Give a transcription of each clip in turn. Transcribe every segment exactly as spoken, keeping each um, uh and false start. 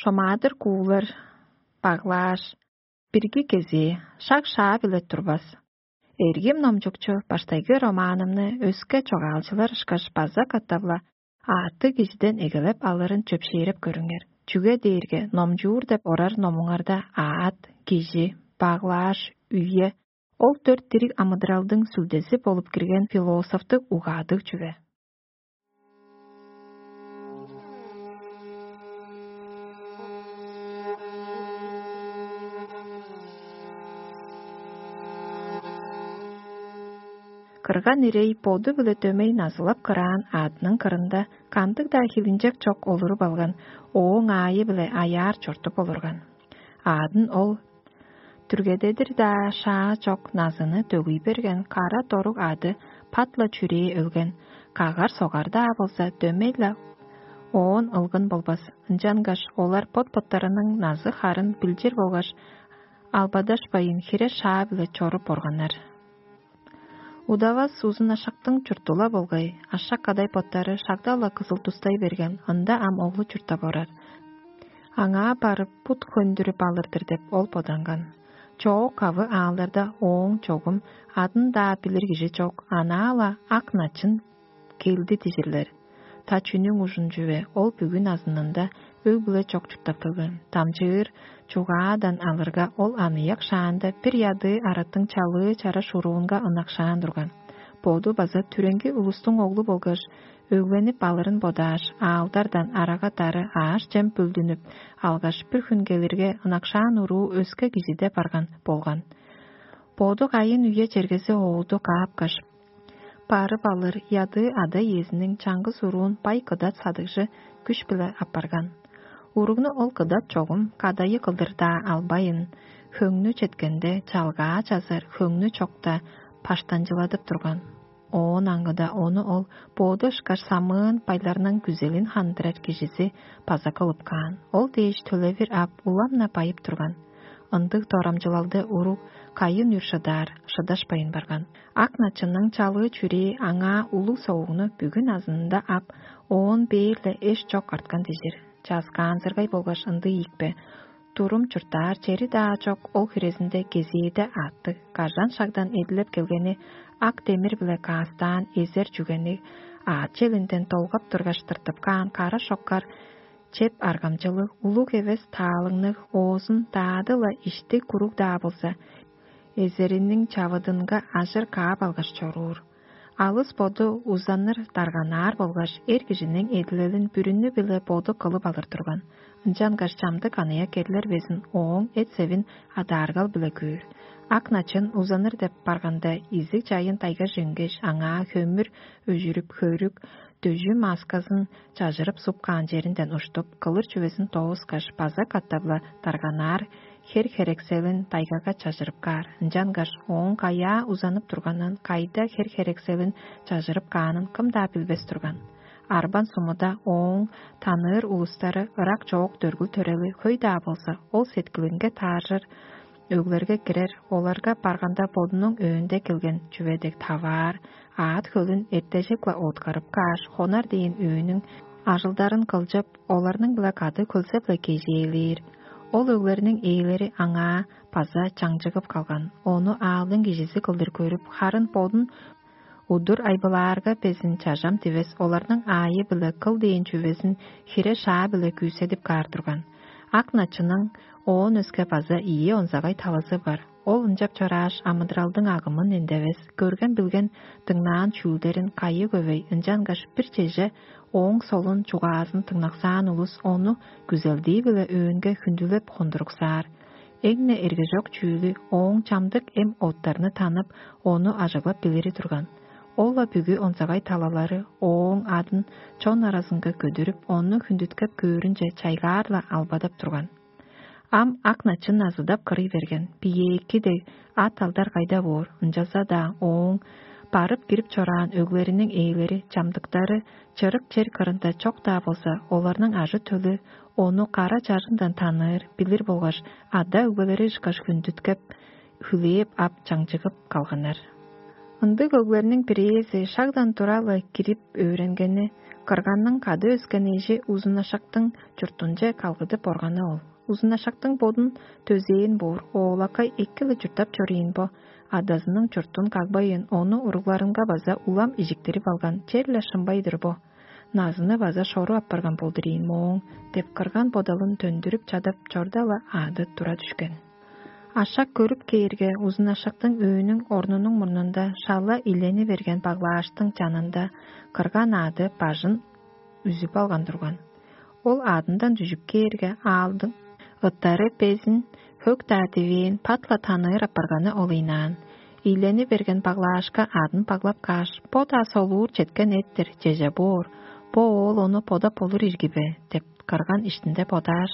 шомаадыр куулар, баглааш, бирги кезээ, шак шаа-биле турбас. Эргим номчукчу баштайгы романымны өске чогаалчылар ышкаш база катап-ла аъттыг кижиден эгелеп алырын чөпшээреп көрүңер. Чүге дээрге номчуур деп орар номуңарда аът, кижи, баглааш, үе, ол дөрт дириг амыдыралдың сүлдези болуп кирген философтуг угаадыг чүве. Кырган ирей боду-биле дөмей назылап кыраан аъдының кырында кандыг-даа хилинчек чок олуруп алган, ооң аайы-биле аяар чортуп олурган. Аъдын ол түргедедир-даа шаа чок назыны дөгүй берген кара доруг аъды пат-ла чүрээ өлген, кагар-согар-даа болза, дөмей-ле оон ылгын болбас. Ынчангаш олар бот-боттарының назы-харын билчир болгаш, албадашпайн хире-шаа-биле чоруп органнар. Удавас узун ашактың чурту-ла болгай, ашак кадай боттары шагда-ла кызыл тустай берген, ында ам оглу чурттап орар. Аңаа барып, бут хөндүрүп алыр-дыр деп ол боданган. Чоок-кавы аалдарда ооң чогум адын-даа билир кижи чок, анаа-ла ак начын келди дижирлер. Та чүнүң ужун чүве, ол бүгүн азынында өг-бүле чок чурттап келген. Дамчыыр чугаадан алырга, ол аныяк шаанда бир ядыы араттың чалыы чара шуруунга ынакшаан турган. Боду база түреңги улустуң оглу болгаш, өгленип алырын бодааш, аалдардан арага-дары ааш-чем бүлдүнүп алгаш, бир хүн келирге, ынакшаан уруу өске кижиде барган болган. Боду кайын үе чергези оолду каапкаш, барып алыр ядыы ада-иезиниң чаңгыс уруун бай кыдат садыгжы күш-биле апарган. Уругну ол кыдат чогум кадайы кылдыр-даа албайн, хөңнү четкенде чалгаа чазар хөңнү чокта паштанчыладып турган. Оон аңгыда ону ол боду ышкаш самыын байларның күзелин хандырар кижизи база кылып каан. Ол дээш төлевир ап, улам-на байып турган. Ындыг дорамчылалды уруг кайын үр шыдаар, шыдашпайн барган. Ак начынның чалыы чүрээ аңаа улуг соогну бүгүн азынында ап, оон бээр-ле эш чок арткан дижир. Часкаанзыргай болгаш ындыг ийикпе, турум чурттаар чери-даа чок ол хирезинде кезээде аъттыг, кажан шагдан эдилеп келгени ак демир-биле каастаан эзер чүгени аът челинден долгап тургаш тыртып каан кара шоккар чеп аргамчылыг, улуг эвес таалыңныг, оозун даады-ла ишти куруг-даа болза, эзериниң чавыдынга ажыр каап алгаш чоруур. Алыс боду узаныр дарганаар болгаш, эр кижиниң эдилелин бүрүнү-биле боду кылып алыр турган. Ынчангаш чамдык аныяк эрлер безин ооң эт-севин адааргал-биле көөр. Ак начын узаныр деп барганда, изиг чайын тайгаже үнгеш, аңаа хөмүр өжүрүп, хөрүк, дөжү мааскызын чажырып суп каан черинден уштуп, кылыр чүвезин доозуккаш, база катап-ла дарганаар хер-херекселин тайгага чажырып каар. Ынчангаш ооң каяа узанып турганын, кайда хер-херекселин чажырып каанын кым-даа билбес турган. Арбан сумуда ооң таныыр улустары ырак чоок дөргүл-төрели хөй-даа болза, ол сеткилинге тааржыр өглерге кирер, оларга барганда бодунуң өөнде келген чүве дег таваар, аът хөлүн эртежик-ла откарып кааш, хонар дээн өөнүң ажылдарын кылчып, оларның-биле кады хөлзеп-ле кежээлээр. Ол өглерниң ээлери аңаа база чаңчыгып калган, ону аалдың кижизи кылдыр көрүп, харын бодун удур айбылаарга безин чажам дивес оларның аайы-биле кыл дээн чүвезин хире-шаа-биле күүседип каар турган. Ак начының оон өске база ийи онзагай талазы бар. Ол ынчап чорааш, амыдыралдың агымын эндевес, көрген-билген, дыңнаан чүүлдерин кайы көвей, ынчангаш бир чеже ооң солун чугаазын дыңнаксаан улус ону күзелдии-биле өөнге хүндүлеп хондуруксаар. Эң-не эргежок чүүлү ооң чамдык эм оттарны танып, ону ажыглап билири турган. Ол-ла бүгү онзагай талалары ооң адын чон аразынга көдүрүп, ону хүндүткеп көөрүнче чайгаар-ла албадап турган. Ам ак начын азыдап кырый берген, биеэки дег ат алдар кайда боор, ынчалза-даа ооң барып кирип чораан өглериниң ээлери чамдыктары чырык чер кырында чок-даа болза, оларның ажы-төлү ону кара чажындан таныыр, билир болгаш, ада-өгбелери ышкаш хүндүткеп, хүлээп ап чаңчыгып калганнар. Ындыг өглерниң бирээзи шагдан тура-ла кирип өөренгени, кырганның кады өскен эжи узунашактың чуртунче калгыдып органы ол. Узунашактың бодун төзээн боор, оолакай эки-ле чурттап чоруйн бо, адазының чуртун кагбайын, ону уругларынга база улам ижиктирип алган черле шымбай-дыр бо. Назыны база шору апарган болдур ийин мооң деп кырган бодалын төндүрүп чадап чорда-ла аады тура дүшкен. Ашак көрүп кээрге, узун ашактың өөнүң орнунуң мурнунда шала илени берген баглааштың чанында кырган аады бажын үзүп алган турган. Ол аадындан дүжүп кээрге, аалдың ыттары безин хөк-даа дивээн пат-ла таныыр апарганы ол ыйнаан. Ийлени берген баглаашка адын баглап кааш, бо-даа солуур четкен эт-тир, чеже боор, бо оол ону бодап болур ирги бе деп кырган иштинде бодааш,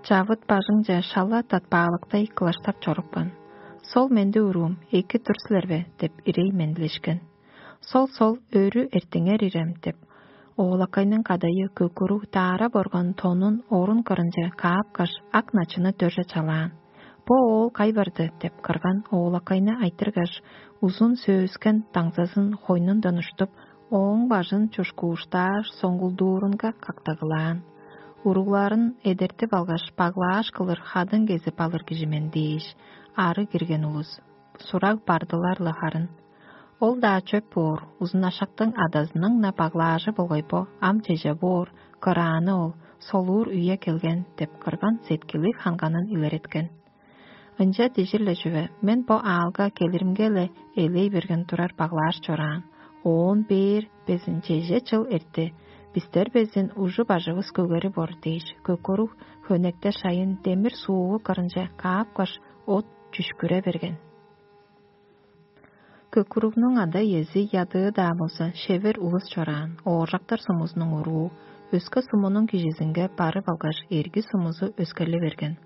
чавыт бажыңче шала татпаалыктай кылаштап чорупкан. Сол менди уруум, эки тур силер бе деп ирей мендилешкен. Сол-сол, өрү эртиңер ирем деп, оолакайның кадайы көкүрүг даарап орган тонун орун кырынче каапкаш, ак начыны дөрже чалаан. Бо оол кай барды деп кырган оолакайны айтыргаш, узун сөөскен даңзазын хойнундан уштуп, ооң бажын чушкууштааш, соңгулдуурунга кактагылаан. Уругларын эдертип алгаш, баглааш кылыр хадың кезип алыр кижи мен дээш, ары кирген улус сураг бардылар-ла харын. Ол-даа чөп боор, узун ашактың адазының-на баглаажы болгай бо, ам чеже боор, кырааны ол, солуур үе келген деп кырган сеткили ханганын илереткен. Ынча дижир-ле чүве, мен бо аалга келиримге-ле элей берген турар баглааш чораан. Оон бээр безин чеже чыл эртти. Бистер безин ужу бажывыс көгери бор дээш, көкүрүг хөнекте шайын демир сууву кырынче каапкаш, от чүшкүре берген. Көкүрүгнүң ада-иези ядыы-даа болза, шевер улус чораан, ооржактар сумузунуң уруу, өске сумунуң кижизинге барып алгаш, эрги сумузу өскерли берген.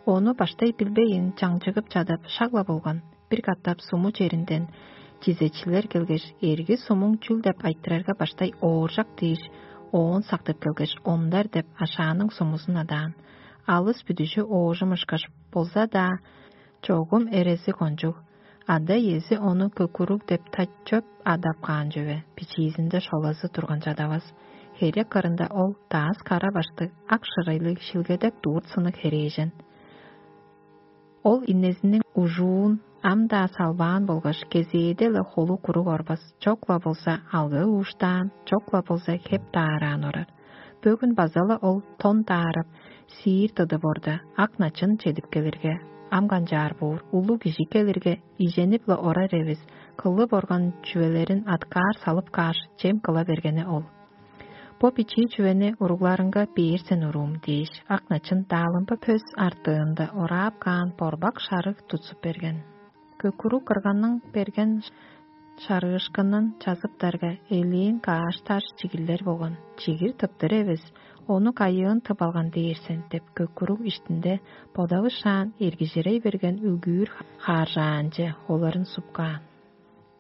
Ону баштай билбейн, чаңчыгып чадап, шак-ла болган. Бир катап суму черинден чизечилер келгеш, эрги сумуң чүл деп айтырарга, баштай ооржак дээш, оон сактып келгеш, ондар деп ашааның сумузун адаан. Алыс бүдүжү оожум ышкаш болза-даа, чогум эрези кончуг. Ада-иези ону көкүрүг деп тачып адап каан чүве, бичиизинде шолазы турган чадавас. Херек кырында ол даас кара баштыг, ак шырайлыг, шилгедек дурт сыныг херээжен. Ол инезиниң ужуун ам-даа салбаан болгаш, кезээде-ле холу куруг орбас, чок-ла болза алгыы ууштаан, чок-ла болза хеп даараан орар. Бөгүн база-ла ол тон даарап, сиир тыдып орда, ак начын чедип келирге, ам канчаар боор, улуг кижи келирге, иженип-ла орар эвес, кылып орган чүвелерин аткаар салып кааш, чем кыла бергени ол. Бо бичии чүвени уругларынга бээр сен, уруум дээш, ак начын даалымба пөс артыында ораап каан борбак шарыг тутсуп берген. Көкүрүг кырганның берген шарыышкынын чазыптарга, элээн кааш-таш чигирлер болган. Чигир тыптыр эвес, ону кайыын тып алган дээр сен деп, көкүрүг иштинде бодавышаан эргижирей берген үгүүр хааржаанче оларын супкаан.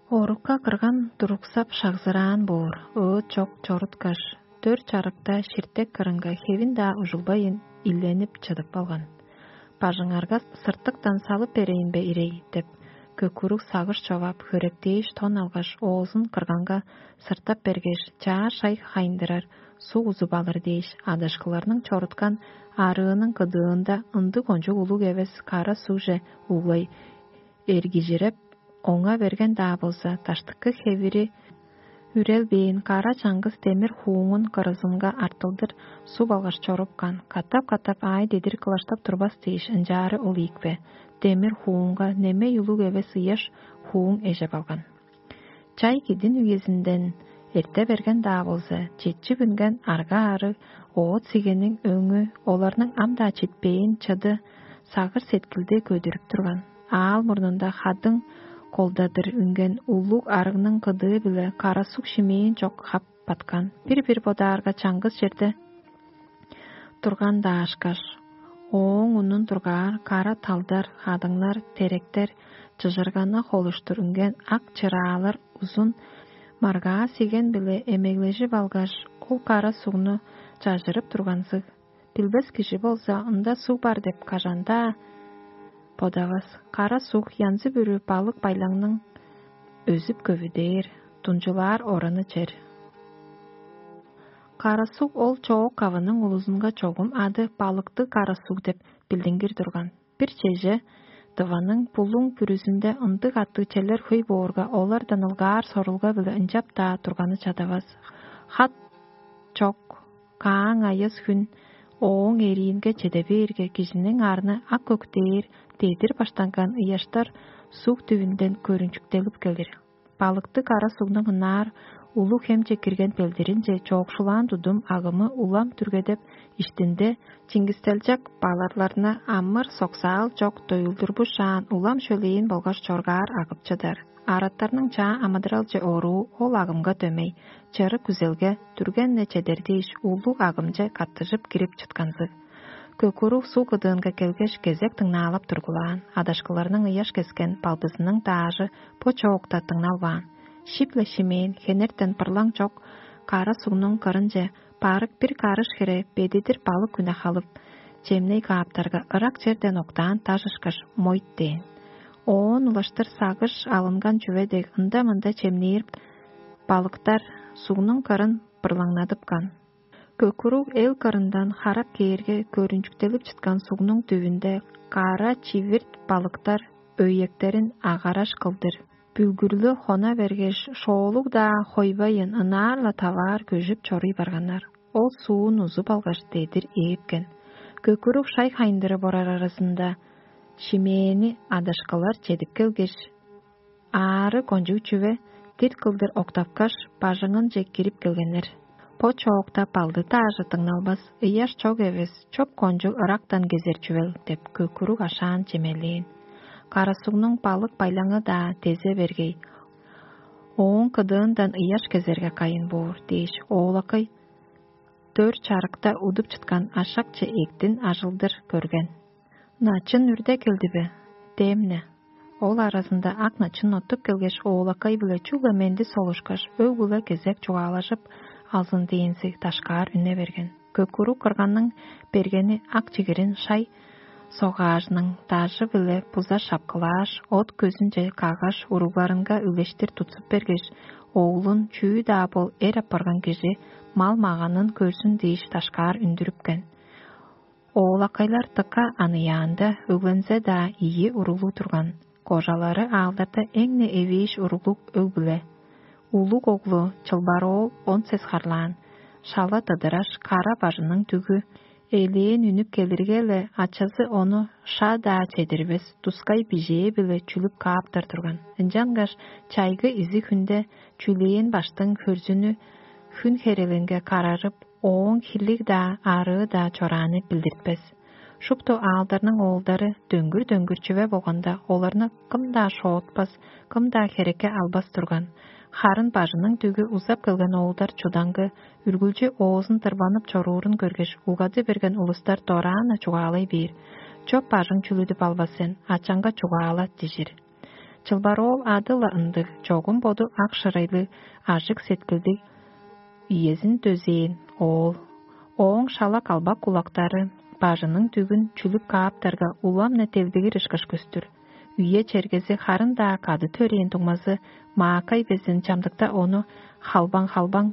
Орукка кырган туруксап шагзыраан боор, ыыт чок чоруткаш, дөр чарыкта ширтек кырынга хевин-даа ужулбайын, иленип чыдып алган. Бажыңарга сыртыктан салып берейн бе, ирей деп, көкүрүг сагыш човап, хөректээш тон алгаш, оозун кырганга сыртап бергеш, чаа шай хайындырар суг узуп алыр дээш, адышкыларның чоруткан арыының кыдыында ындыг кончуг улуг эвес кара сугже углай эргижиреп, оңа берген-даа болза, даштыкы хевири үрелбээн кара чаңгыс демир хууңун кырызынга артылдыр суп алгаш чорупкан, катап-катап аай дедир кылаштап турбас дээш, ынчаары ол ийикпе, демир хуунга немей улуг эвес ыяш хууң эжеп алган. Чай кидин үезинден эрте берген-даа болза, четчип үнген арга-арыг оът сигениң өңү оларның ам-даа читпээн чыды сагыш-сеткилди көдүрүп турган. Аал мурнунда хадың колдадыр үнген улуг арыгның кыдыы-биле кара суг шимээн чок хап баткан. Бир-бир бодаарга чаңгыс черде турган даашкаш, ооң унун тургаар кара талдар, хадыңнар, теректер, чыжырганы холуштур үнген ак чыраалар узун маргаа сиген-биле эмеглежип алгаш, ол кара сугну чажырып турганзыг. Билбес кижи болза, ында суг бар деп кажан-даа бодавас. Кара суг янзы-бүрү балык-байлаңның өзүп-көвүдээр, дунчулаар ораны чер. Карасуг ол чоок кавының улузунга чогум ады балыктыг карасуг деп билдингир турган. Бир чеже дываның булуң бүрүзүнде ындыг аттыг челер хөй боорга, олардан ылгаар сорулга-биле ынчап-даа турганы чадавас. Хат чок, кааң айыс хүн ооң эриинге чеде бээрге, кижиниң арны ак көктээр, дедир баштанган ыяштар суг дүвүнден көрүнчүктелип келир. Балыктыг кара сугнуң ынаар улуг хемче кирген белдиринче чоокшулаан тудум агымы улам түргедеп, иштинде чиңгистелчек баларларны амыр-соксаал чок доюлдурбушаан, улам шөлээн болгаш чоргаар агып чыдар. Араттарның чаа амыдыралче оруу ол агымга дөмей, чырык күзелге дүрген-не чедер дээш, улуг агымче каттыжып кирип чытканзыг. Көкүрүг суг кыдыынга келгеш, кезек дыңнаалап тургулаан, адашкыларның ыяш кескен балдызының даажы бо чоокта дыңналбаан. Шип-ле шимээн, хенертен пырлаң чок кара сугнуң кырынче барык бир карыш хире бедидир балык үне халып, чемней кааптарга, ырак черден октаан даш ышкаш мойт дээн. Оон улаштыр сагыш алынган чүве дег ында-мында чемнээр балыктар сугнуң кырын бырлаңнадыпкан. Көкүрүг эл кырындан харап кээрге, көрүнчүктелип чыткан сугнуң дүвүнде кара чивирт балыктар өйектерин агараш кылдыр, бүлгүрлү хона бергеш, шоолуг-даа хойбайын, ынаар-ла таваар көжүп чоруй барганнар. Ол суун узуп алгаш, дедир ээпкен. Көкүрүг шай хайындырып орар аразында шимээни адашкылар чедип келгеш, аары кончуг чүве дирт кылдыр октапкаш, бажыңынче кирип келгеннер. Бо чоокта балды даажы дыңналбас, ыяш чок эвес, чоп кончуг ырактан кезер чүвел деп, көкүрүг ашаан чемелээн. Карасугнуң балык байлаңы-даа дезе бергей, ооң кыдыындан ыяш кезерге кайын боор дээш, оолакай дөр чарыкта удуп чыткан ашакче эктин ажылдыр көрген. Начын үрде келди бе? Демне. Ол аразында ак начын оттуп келгеш, оолакай-биле чүгле менди солушкаш, өг-бүле кезек чугаалажып алзын дээнзиг дашкаар үне берген. Көкүрүг кырганның бергени ак чигирин шай согаажының дажы-биле буза шапкылааш, от көзүнче каггаш, уругларынга үлештир тутсуп бергеш, оглун чүү-даа бол эр апарган кижи мал-маганын көрзүн дээш дашкаар үндүрүпкен. Оолакайлар дыка аныяанда, өглензе-даа ийи уруглуг турган, кожалары аалдарда эң-не эвээш уруглуг өг-бүле. Улуг оглу Чылбар-оол он сес харлаан, шала дыдыраш, кара бажының дүгү элээн үнүп келирге-ле, ачазы ону ша-даа чедирбес, тускай бижээ-биле чүлүп кааптар турган. Ынчангаш чайгы изиг хүнде чүлээн баштың хөрзүнү хүн херелинге карарып, ооң хирлиг-даа, арыы-даа чорааны билдиртпес. Шупту аалдарның оолдары дөңгүр-дөңгүр чүве болганда, оларны кым-даа шоотпас, кым-даа херекке албас турган. Харын бажының дүгү узап келген оолдар чудаңгы, үргүлчү оозун тырбанып чоруурун көргеш, угады берген улустар дораан-на чугаалай бээр: «Чоп бажың чүлүдүп албас сен, ачаңга чугаала» — дижир. Чылбар-оол ады-ла ындыг, чогум боду ак шырайлыг, ажык сеткилдиг, иезин дөзээн оол. Ооң шала калбак кулактары бажының дүгүн чүлүп кааптарга, улам-на делдигир ышкаш көстүр. Үе-чергези харын-даа кады төрээн дуңмазы Маакай безин чамдыкта ону «Халбаң-халбаң,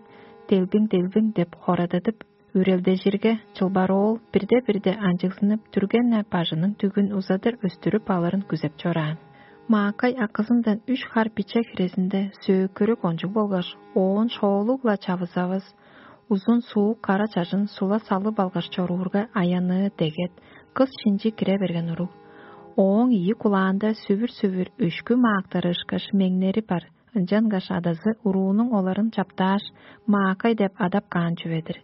делбиң-делбиң» деп хорададып, үрелдежирге, Чылбар-оол бирде-бирде анчыгзынып, дүрген-не бажының дүгүн узадыр өстүрүп алырын күзеп чораан. Маакай акызындан үш хар биче хирезинде сөөкүрү кончуг болгаш, оон шоолуг-ла чавызавыс, узун суук кара чажын сула салып алгаш чоруурга, аянныы дегет, кыс шинчи кире берген уруг. Ооң ийи кулаанда сүвүр-сүвүр өшкү маактары ышкаш меңнери бар, ынчангаш адазы уруунуң оларын чаптааш, Маакай деп адап каан чүве-дир.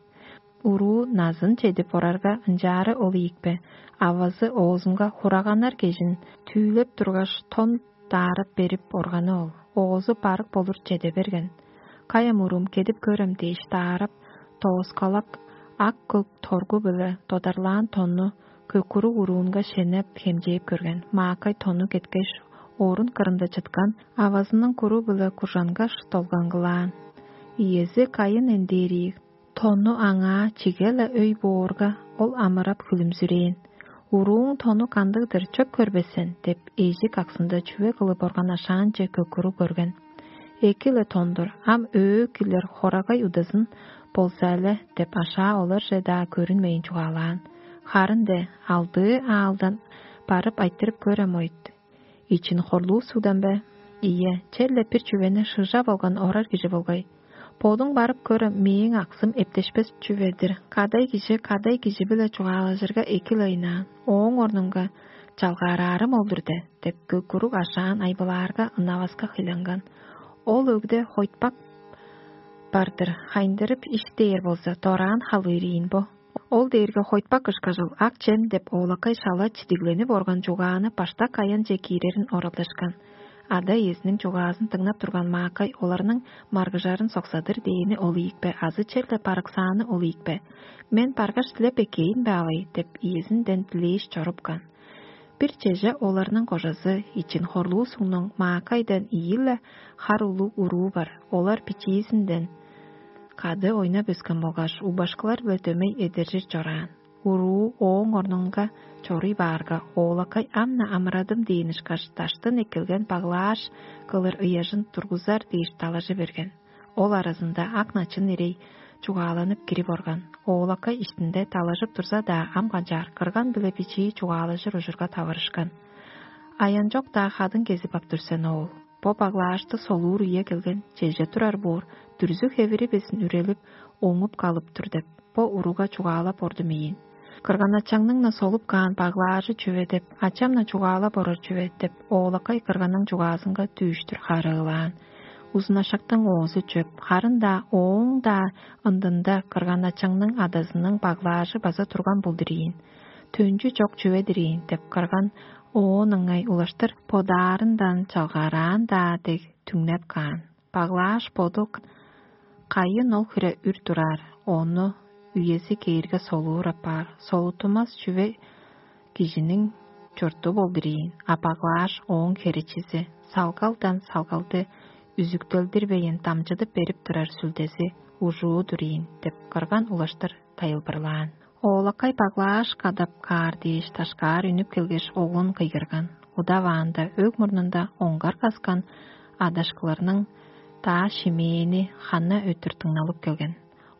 Уруу назын чедип орарга, ынчаары ол ийикпе, авазы оозунга хураганнар кежин түүлеп тургаш, тон даарап берип органы ол. Оозу барык болур чеде берген. «Каяам, уруум, кедип көрем» дээш даарап, тооскалак ак-көк торгу-биле додарлаан тонну көкүрүг уруунга шенеп, хемчээп көрген. Маакай тонну кеткеш, орун кырында чыткан авазының куру-биле куржангаш долгаңгылаан. Иези кайын эндээриик, тонну аңаа чиге-ле өй боорга, ол амырап хүлүмзүрээн. «Урууң тонну кандыг-дыр, чөп көрбес сен» — деп, эжик аксында чүве кылып орган ашаанче көкүрүг көрген. Эки-ле тондур, ам өөк кирлер хорагай удазын болза-ле деп ашаа оларже-даа көрүнмейн чугаалаан. Харын-де алдыы аалдан барып айтырып көрем ойт. Ичин хорлуу сугдан бе? Ийе, черле бир чүвени шыжа болган орар кижи болгай. Бодуң барып көрем, мээң аксым эптешпес чүве-дир. Кадай кижи кадай кижи-биле чугаалажырга эки-ле ыйнаан. Ооң орнунга чалгаараары молдур де деп көккуруг ашаан айбылаарга ынаваска хыйланган. Ол өгде хойтпак бар-дыр, хайындырып иш дээр болза, дораан халыыр ийин бо. Ол дээрге хойтпак ышкажыл ак чем деп оолакай шала чидигленип орган чугааны баштак аянче киирерин оралдашкан. Ада-иезиниң чугаазын дыңнап турган маакай оларның маргыжарын соксадыр дээни ол ийикпе азы черле барыксааны ол ийикпе? Мен баргаш дилеп эккээн бе авай деп иезинден дилээш чорупкан. Бир чеже оларның кожазы ичин хорлуусуңнуң маакайдан ийи-ле хар улуг уруу бар. Олар бичиизинден кады ойнап өскен болгаш убашкылар-биле дөмей эдержир чораан. Уруу ооң орнунга чоруй баарга, оолакай ам-на амырадым дээн ышкаш даштын эккелген баглааш кылыр ыяжын тургузар дээш далажы берген. Ол аразында ак начын ирей чугааланып кирип орган. Оолакай иштинде талажып турза-даа, ам канчаар кырган биле бичии чугаалажыр ужурга таварышкан. Аянчок-даа хадың кезип ап тур сен, оол. Бо баглаашты солуур үе келген, чеже турар боор, дүрзү-хевири безин үрелип, оңуп калып тур деп, бо уруга чугаалап ордум ийин. Кырган-ачаңның-на солуп каан баглаажы чүве деп, ачам-на чугаалап орар чүве деп, оолакай кырганның чугаазынга дүүштүр харыылаан. Узун ашактың оозу чөп, харын-даа ооң-даа ындында кырган-ачаңның адазының баглаажы база турган болдур ийин. Төнчү чок чүве-дир ийин деп кырган оон ыңай улаштыр бодаарындан чалгаараан-даа дег түңнеп каан. Баглааш боду кайын ол хире үр тураар, ону үези кээрге солуур апаар, солутумас чүве кижиниң чурту болдур ийин, а баглааш ооң херечизи, салгалдан салгалды үзүктелдирбейн дамчыдып берип турар сүлдези ужуу-дур ийин деп кырган улаштыр тайылбырлаан. Оолакай баглааш кадап каар дээш дашкаар үнүп келгеш, оглун кыйгырган. Удаваанда өг мурнунда оңгар каскан адашкыларның даа шимээни хана өттүр дыңналып келген.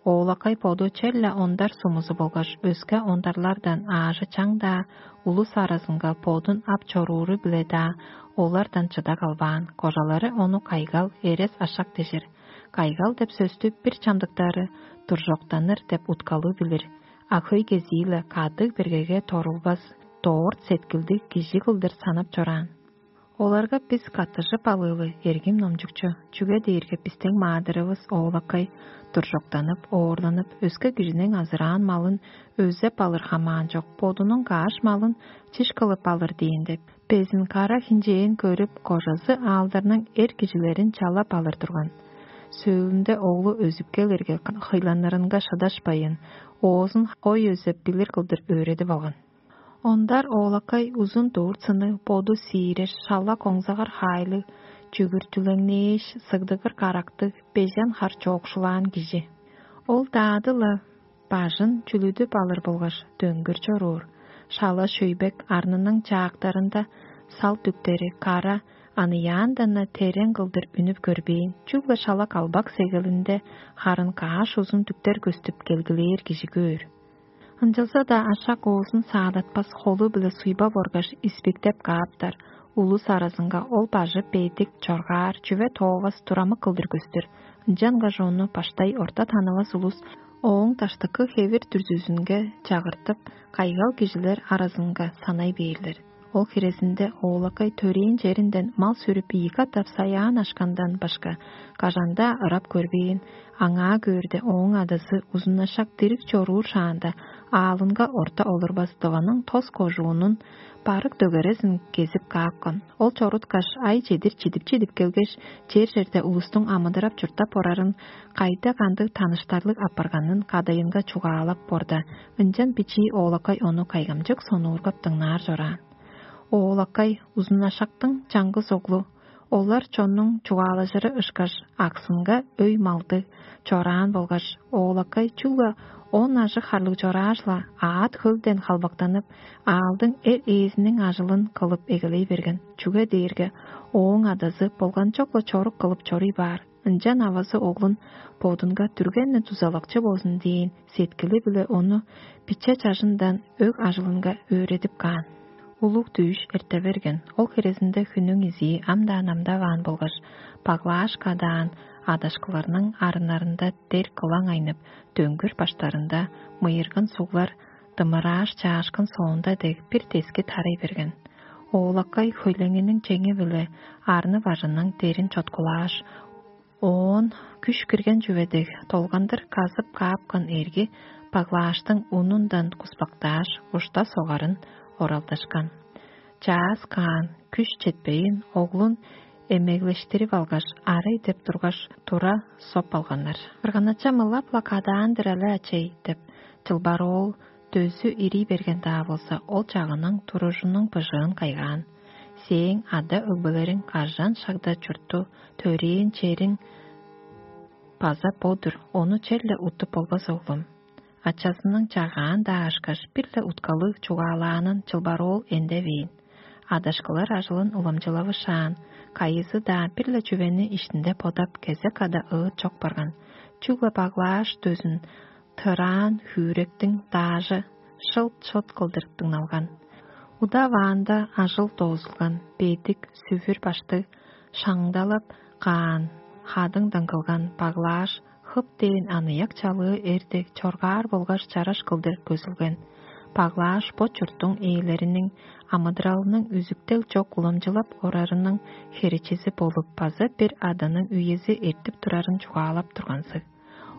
Оолакай боду черле ондар сумузу болгаш өске ондарлардан аажы чаң-даа улус аразынга бодун ап чорууру-биле-даа олардан чыда калбаан, кожалары ону кайгал, эрес ашак дижир. Кайгал деп сөстү бир чамдыктары дуржоктаныр деп уткалыг билир, а хөй кезии-ле кадыг бергеге торулбас, дорт сеткилдиг кижи кылдыр санап чораан. Оларга бис каттыжып алыылы, эргим номчукчу, чүге дээрге бистиң маадырывыс оолакай дуржоктанып, оорланып, өске кижиниң азыраан малын өзеп алыр хамаан чок, бодунуң кааш малын чиш кылып алыр дээн деп, безин кара хинчээн көрүп, кожазы аалдарның эр кижилерин чалап алыр турган. Сөөлүнде оглу өзүп келирге, хыйланырынга шыдашпайн, оозун хой өзеп билир кылдыр өөредип алган. Ондар оолакай узун дурт сыны, боду сиирер, шала коңзагар хаайлыг, чүгүртүлеңнээш, сыгдыгыр карактыг, бежен хар чоокшулаан кижи. Ол даады-ла бажын чүлүдүп алыр болгаш дөңгүр чоруур. Шала шөйбек арнының чаактарында сал дүктери кара аныяандан-на терең кылдыр үнүп көрбээн, чүгле шала калбак сегелинде харын кааш узун дүктер көстүп келгилээр кижи көөр. Ынчалза-даа ашак оозун саадатпас холу-биле суйбап оргаш, испиктеп кааптар. Улус аразынга ол бажы бедик, чоргаар, чүве тоовас, турамык кылдыр көстүр. Ынчангаш ону баштай орта танывас улус ооң даштыкы хевир дүрзүзүнге чагыртып, кайгал кижилер аразынга санай бээрлер. Ол хирезинде оолакай төрээн черинден мал сүрүп ийи катап саяан ашкандан башка, кажан-даа ырап көрбээн, аңаа көөрде ооң адазы узунашак дириг чоруур шаанда, аалынга орта олурбас дываның тос кожуунун барык дөгерезин кезип каапкан. Ол чоруткаш, ай чедир чидип-чидип келгеш, чер-черде улустуң амыдырап-чурттап орарын, кайда кандыг таныштарлыг апарганын кадайынга чугаалап борда, ынчан бичии оолакай ону кайгамчык сонуургап дыңнаар чораан. Оолакай узунашактың чаңгыс оглу, олар чоннуң чугаалажыры ышкаш, аксынга өй-малдыг чораан болгаш, оолакай чүгле Он ажыг харлыг чорааш-ла, аът хөлден халбактанып, аалдың эр ээзиниң ажылын кылып эгелей берген, чүге дээрге ооң адазы болганчок-ла чорук кылып чоруй баар. Ынчан авазы оглун бодунга дүргенни дузалакчы болзун дээн сеткили-биле ону биче чажындан өг ажылынга өөредип каан. Улуг дүъш эрте берген, ол херезинде хүннүң изии ам-даа намдаваан болгаш, баглааш кадаан адашкыларның арыннарында дер кылаң айнып, дөңгүр баштарында мыйыргын суглар дымырааш чаашкын соонда дег бир дески тарай берген. Оолакай хөйлеңиниң чеңи-биле арны бажының дерин чоткулааш, оон күш кирген чүве дег долгандыр казып каапкан эрги баглааштың унундан куспактааш, ушта согарын оралдашкан. Чаас каан күш четпейн, оглун эмеглештирип алгаш, арый деп тургаш, тура соп алганнар. Кырганача мылап-ла кадаан-дыр але, ачай деп, чылбар оол дөзү ирий берген-даа болза, ол чагының туружунуң быжыын кайгаан. Сээң ада-өгбелериң кажан шагда чуртту, төрээн чериң база бо-дур, ону черле уттуп болбас, оглум. Ачазының чагаан-даа ышкаш бир-ле уткалыг чугаалаанын чылбар оол эндевээн. Адашкылар ажылын уламчылавышаан, кайызы-даа бир-ле чүвени иштинде бодап, кезек ада ыыт чок барган. Чүгле баглааш дөзүн тыраан, хүректиң даажы шылт-шот кылдыр дыңналган. Удаваанда ажыл доозулган, бедик, сүвүр баштыг, шаңдалап каан, хадыңдан кылган баглааш хып дээн аныяк чалыы эр дег чоргаар болгаш чараш кылдыр көзүлген. Баглааш бо чурттуң ээлериниң амыдыралының үзүктел чок уламчылап орарының херечизи болуп, база бир аданың үези эртип турарын чугаалап турганзыг.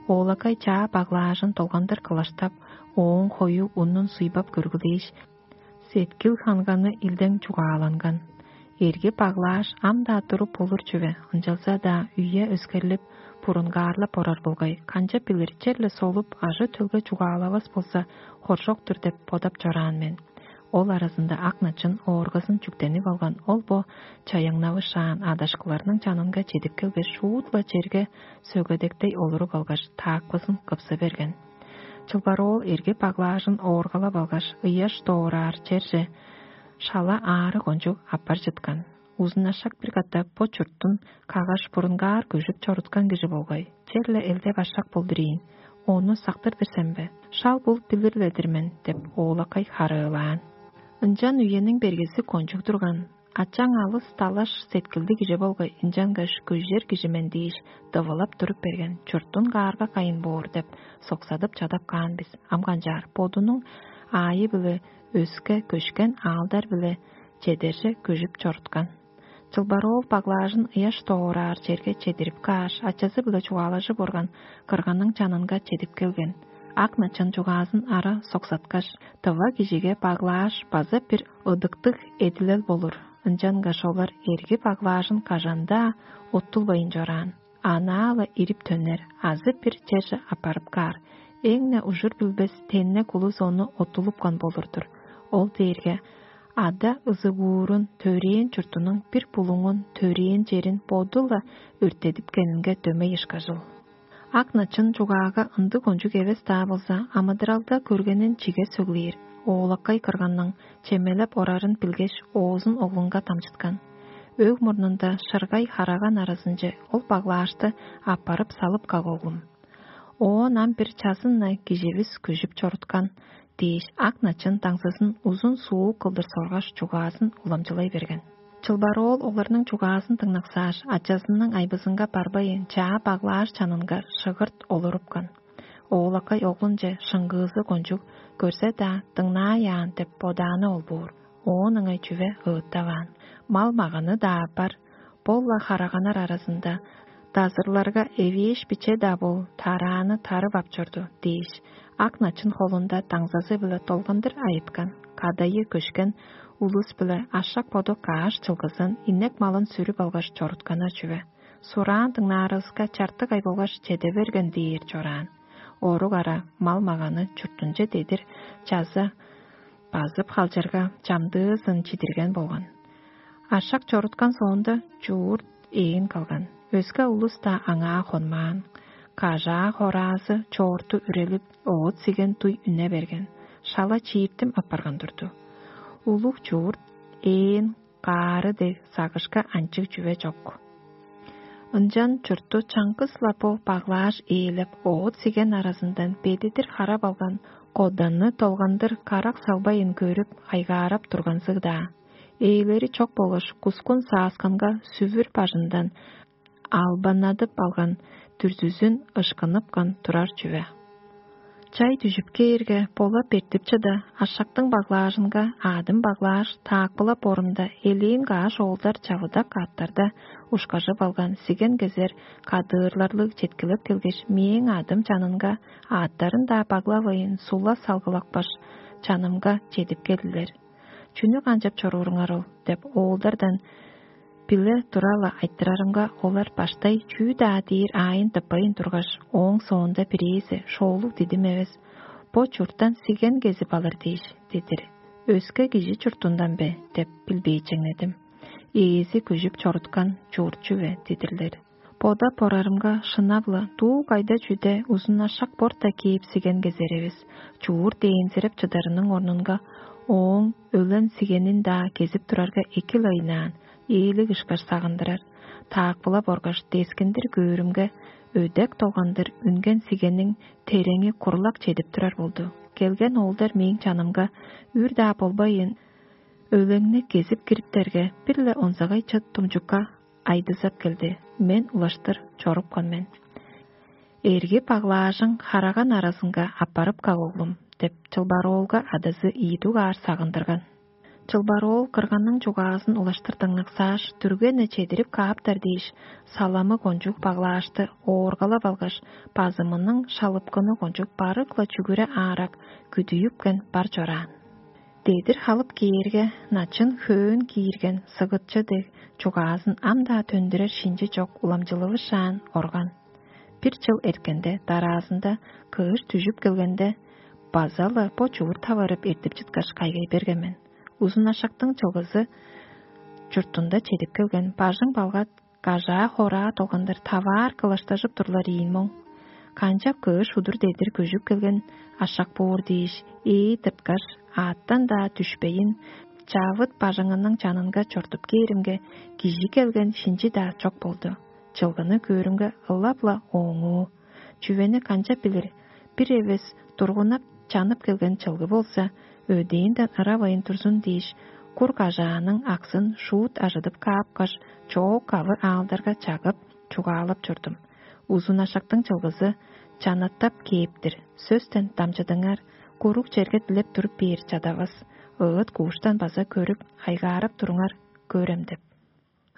Оолакай чаа баглаажын долгандыр кылаштап, ооң хою унун суйбап көргүлээш, сеткил ханганы илдең чугааланган. Эрги баглааш ам-даа туруп болур чүве, ынчалза-даа үе өскерлип, бурунгаарлап орар болгай, канчап билир, черле солуп, ажы-төлге чугаалавас болза, хоржок-тур деп бодап чораан мен. Ол аразында ак начын ооргазын чүктенип алган ол бо чаяңнавышаан адашкыларның чанынга чедип келгеш, шуут-ла черге сөгедектей олуруп алгаш, таакпызын кыпсы берген. Чылбар оол эрги баглаажын ооргалап алгаш, ыяш доораар черже шала аары кончуг аппар чыткан. Узунашак бир катап бо чурттун кагаш бурунгаар көжүп чоруткан кижи болгай, черле элде башак болдур ийин, ону сактыр-дыр сен бе? Шал бул билир-ле-дир мен деп, оолакай харыылаан. Ынчан үениң бергези кончуг турган. Ачаң алыс талаш сеткилдиг кижи болгай, ынчангаш көжер кижи мен дээш, дывылап туруп берген, чурттун каарга кайын боор деп, соксадып чадап каан бис. Ам канчаар, бодунуң аайы-биле өске көшкен аалдар-биле чедерже көжүп чоруткан. Чылбар оол баглаажын ыяш доораар черге чедирип кааш, ачазы-биле чугаалажып орган кырганның чанынга чедип келген. Ак начын чугаазын ара соксаткаш, тыва кижиге баглааш база бир ыдыктыг эдилел болур, ынчангаш олар эрги баглаажын кажан-даа уттулбайн чораан. Анаа-ла ирип төнер азы бир черже аппарып каар, эң-не ужур билбес теннек улус ону оттулупкан болур-дур. Ол дээрге ада ызыгуурун, төрээн чуртунуң бир булуңун, төрээн черин боду-ла өрттедипкенинге дөмей ышкажыл. Ак начын чугаага ындыг кончуг эвес-даа болза, амыдыралда көргенин чиге сөглээр, оолакай кырганның чемелеп орарын билгеш, оозун оглунга дамчыткан. Өг мурнунда шыргай хараган аразынче ол баглаашты аппарып салып каг, оглум. Оон ам бир чазын-на киживис күжүп чоруткан дээш, ак начын даңзызын узун суук кылдыр соргаш, чугаазын уламчылай берген. Чылбар оол оларның чугаазын дыңнаксааш, ачазының айбызынга барбайын, чаа баглааш чанынга шыгырт олурупкан. Оолакай оглунче шыңгыызы кончуг, көрзе-даа, дыңнааяан деп бодааны ол боор. Оон ыңай чүве ыыттаваан. Мал-маганы-даа бар, бо-ла хараганар аразында дазырларга эвээш биче-даа бол, тарааны тарып ап чорду дээш, ак начын холунда даңзазы-биле долгандыр айыткан, кадайы көшкен улус-биле ашак боду кааш чылгызын, инек малын сүрүп алгаш чорутканнар чүве. Сураан дыңнаарывыска чартык ай болгаш чеде берген дээр чораан. Орук ара мал-маганы чуртунче дедир чаза базып халчарга, чамдыызын чидирген болган. Ашак чоруткан соонда чуурт ээн калган. Өске улус-даа аңаа хонмаан. кажаа хораазы чоорту үрелип, оът сиген дуй үне берген, шала чииртим апарган турду. Улуг чуурт ээн каары дег сагышка анчыг чүве чок. Ынчан чуртту чаңгыс-ла бо баглааш ээлеп, оът сиген аразындан бедидир харап алган коданны долгандыр карак салбайын көрүп, хайгаарап турганзыг-даа. Ээлери чок болгаш кускун саасканга сүвүр бажындан албанадып алган дүрзүзүн ышкынып каан турар чүве. Чай дүжүп кээрге, болап эртип чыда, ашактың баглаажынга аадым баглааш, таакпылап орумда, элээн каш оолдар чавыдак аъттарда ушкажып алган сиген кезер кадыырларлыг четкилеп келгеш, мээң аъдым чанынга аъттарын-даа баглавайн, сула салгылапкаш, чанымга чедип келдилер. «Чүнү канчап чорууруңар ол?» – деп, оолдардан биле тура-ла айтырарымга, олар баштай чүү-даа дээр аайын тыппайн тургаш, ооң соонда бирээзи: «Шоолуг дидим эвес, бо чурттан сиген кезип алыр дээш, дедир. Өске кижи чуртундан бе?» – деп билбээчеңнедим. «Ээзи көжүп чоруткан чуурчу бе?» – дидирлер. Бодап орарымга, шынап-ла, дуу кайда чүде узун ашак борта кээп сиген кезер эвес, чуур дээнзиреп чыдарының орнунга, ооң өлен сигенин-даа кезип турарга эки-ла ыйнаан, ээлиг ышкаш сагындырар. Таакпылап оргаш, дескиндир көөрүмге, өдек долгандыр үнген сигенниң тереңи курлак чедип турар болду. Келген оолдар мээң чанымга үр-даа болбайын, өлеңни кезип кириптерге, бир-ле онзагай чыт тумчукка айдызап келди. Мен улаштыр чорупкан мен. «Эрги баглаажың хараган аразынга аппарып каг, оглум», – деп, чылбароолга адазы ийи дугаар сагындырган. Чылбароол кырганның чугаазын улаштыр дыңнаксааш, дүргени чедирип кааптар дээш, саламы кончуг баглаашты ооргалап алгаш, базымының шалыпкыны кончуг барык-ла чүгүре аарак күдүйүпкен бар чораан. Дедир халып кээрге, начын хөөн киирген сыгытчы дег, чугаазын ам-даа төндүрер шинчи чок уламчылывышаан орган. Бир чыл эрткенде, дараазында кыш дүжүп келгенде, база-ла бо чуурт таварып эртип чыткаш, кайгай берген мен. Узун ашактың чылгызы чуртунда чедип келген, бажың балгат, кажаа-хораа долгандыр таваар кылаштажып турлар ийин моң. Канчап кыш удур дедир көжүп келген ашак боор дээш, ээ тырткаш, аъттан-даа дүшпейн, чавыт бажыңының чанынга чортуп кээримге, кижи келген шинчи-даа чок болду. Чылгыны көөрүмге, ылап-ла ооңуу. Чүвени канчап билир? Бир эвес тургунап чанып келген чылгы болза, өдээнден ыравайн турзун дээш, кур кажааның аксын шуут ажыдып каапкаш, чоок-кавы аалдарга чагып, чугаалап чордум. Узун ашактың чылгызы чанаттап кээп-тир, сөстен дамчыдыңар, куруг черге дилеп туруп бээр чадавас, ыыт-кууштан база көрүп, хайгаарап туруңар, көрем деп.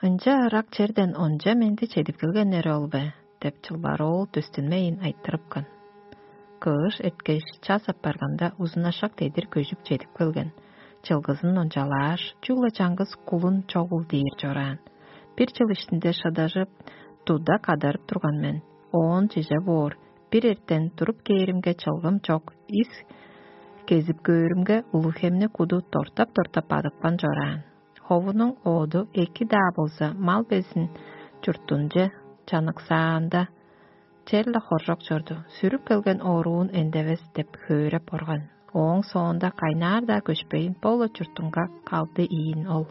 «Ынча ырак черден онча менди чедип келгеннери ол бе?» – деп, чылбар оол дөстүнмейн айтырыпкан. Кыш эрткеш, час апарганда, узун ашак дедир көжүп чедип келген. Чылгызын ончалааш, чүгле чаңгыс кулун чогул дээр чораан. Бир чыл иштинде шыдажып, туда кадарып турган мен. Оон чеже боор, бир эртен туруп кээримге, чылгым чок, ис кезип көөрүмге, улуг хемни куду тортап-тортап бадыпкан чораан. Ховунуң оду эки-даа болза, мал безин чурттунче чаныксаанда, черле хоржок чорду, сүрүп келген оруун эндевес деп хөөреп орган. Ооң соонда кайнаар-даа көшпейн, бо-ла чуртунга калды ийин ол.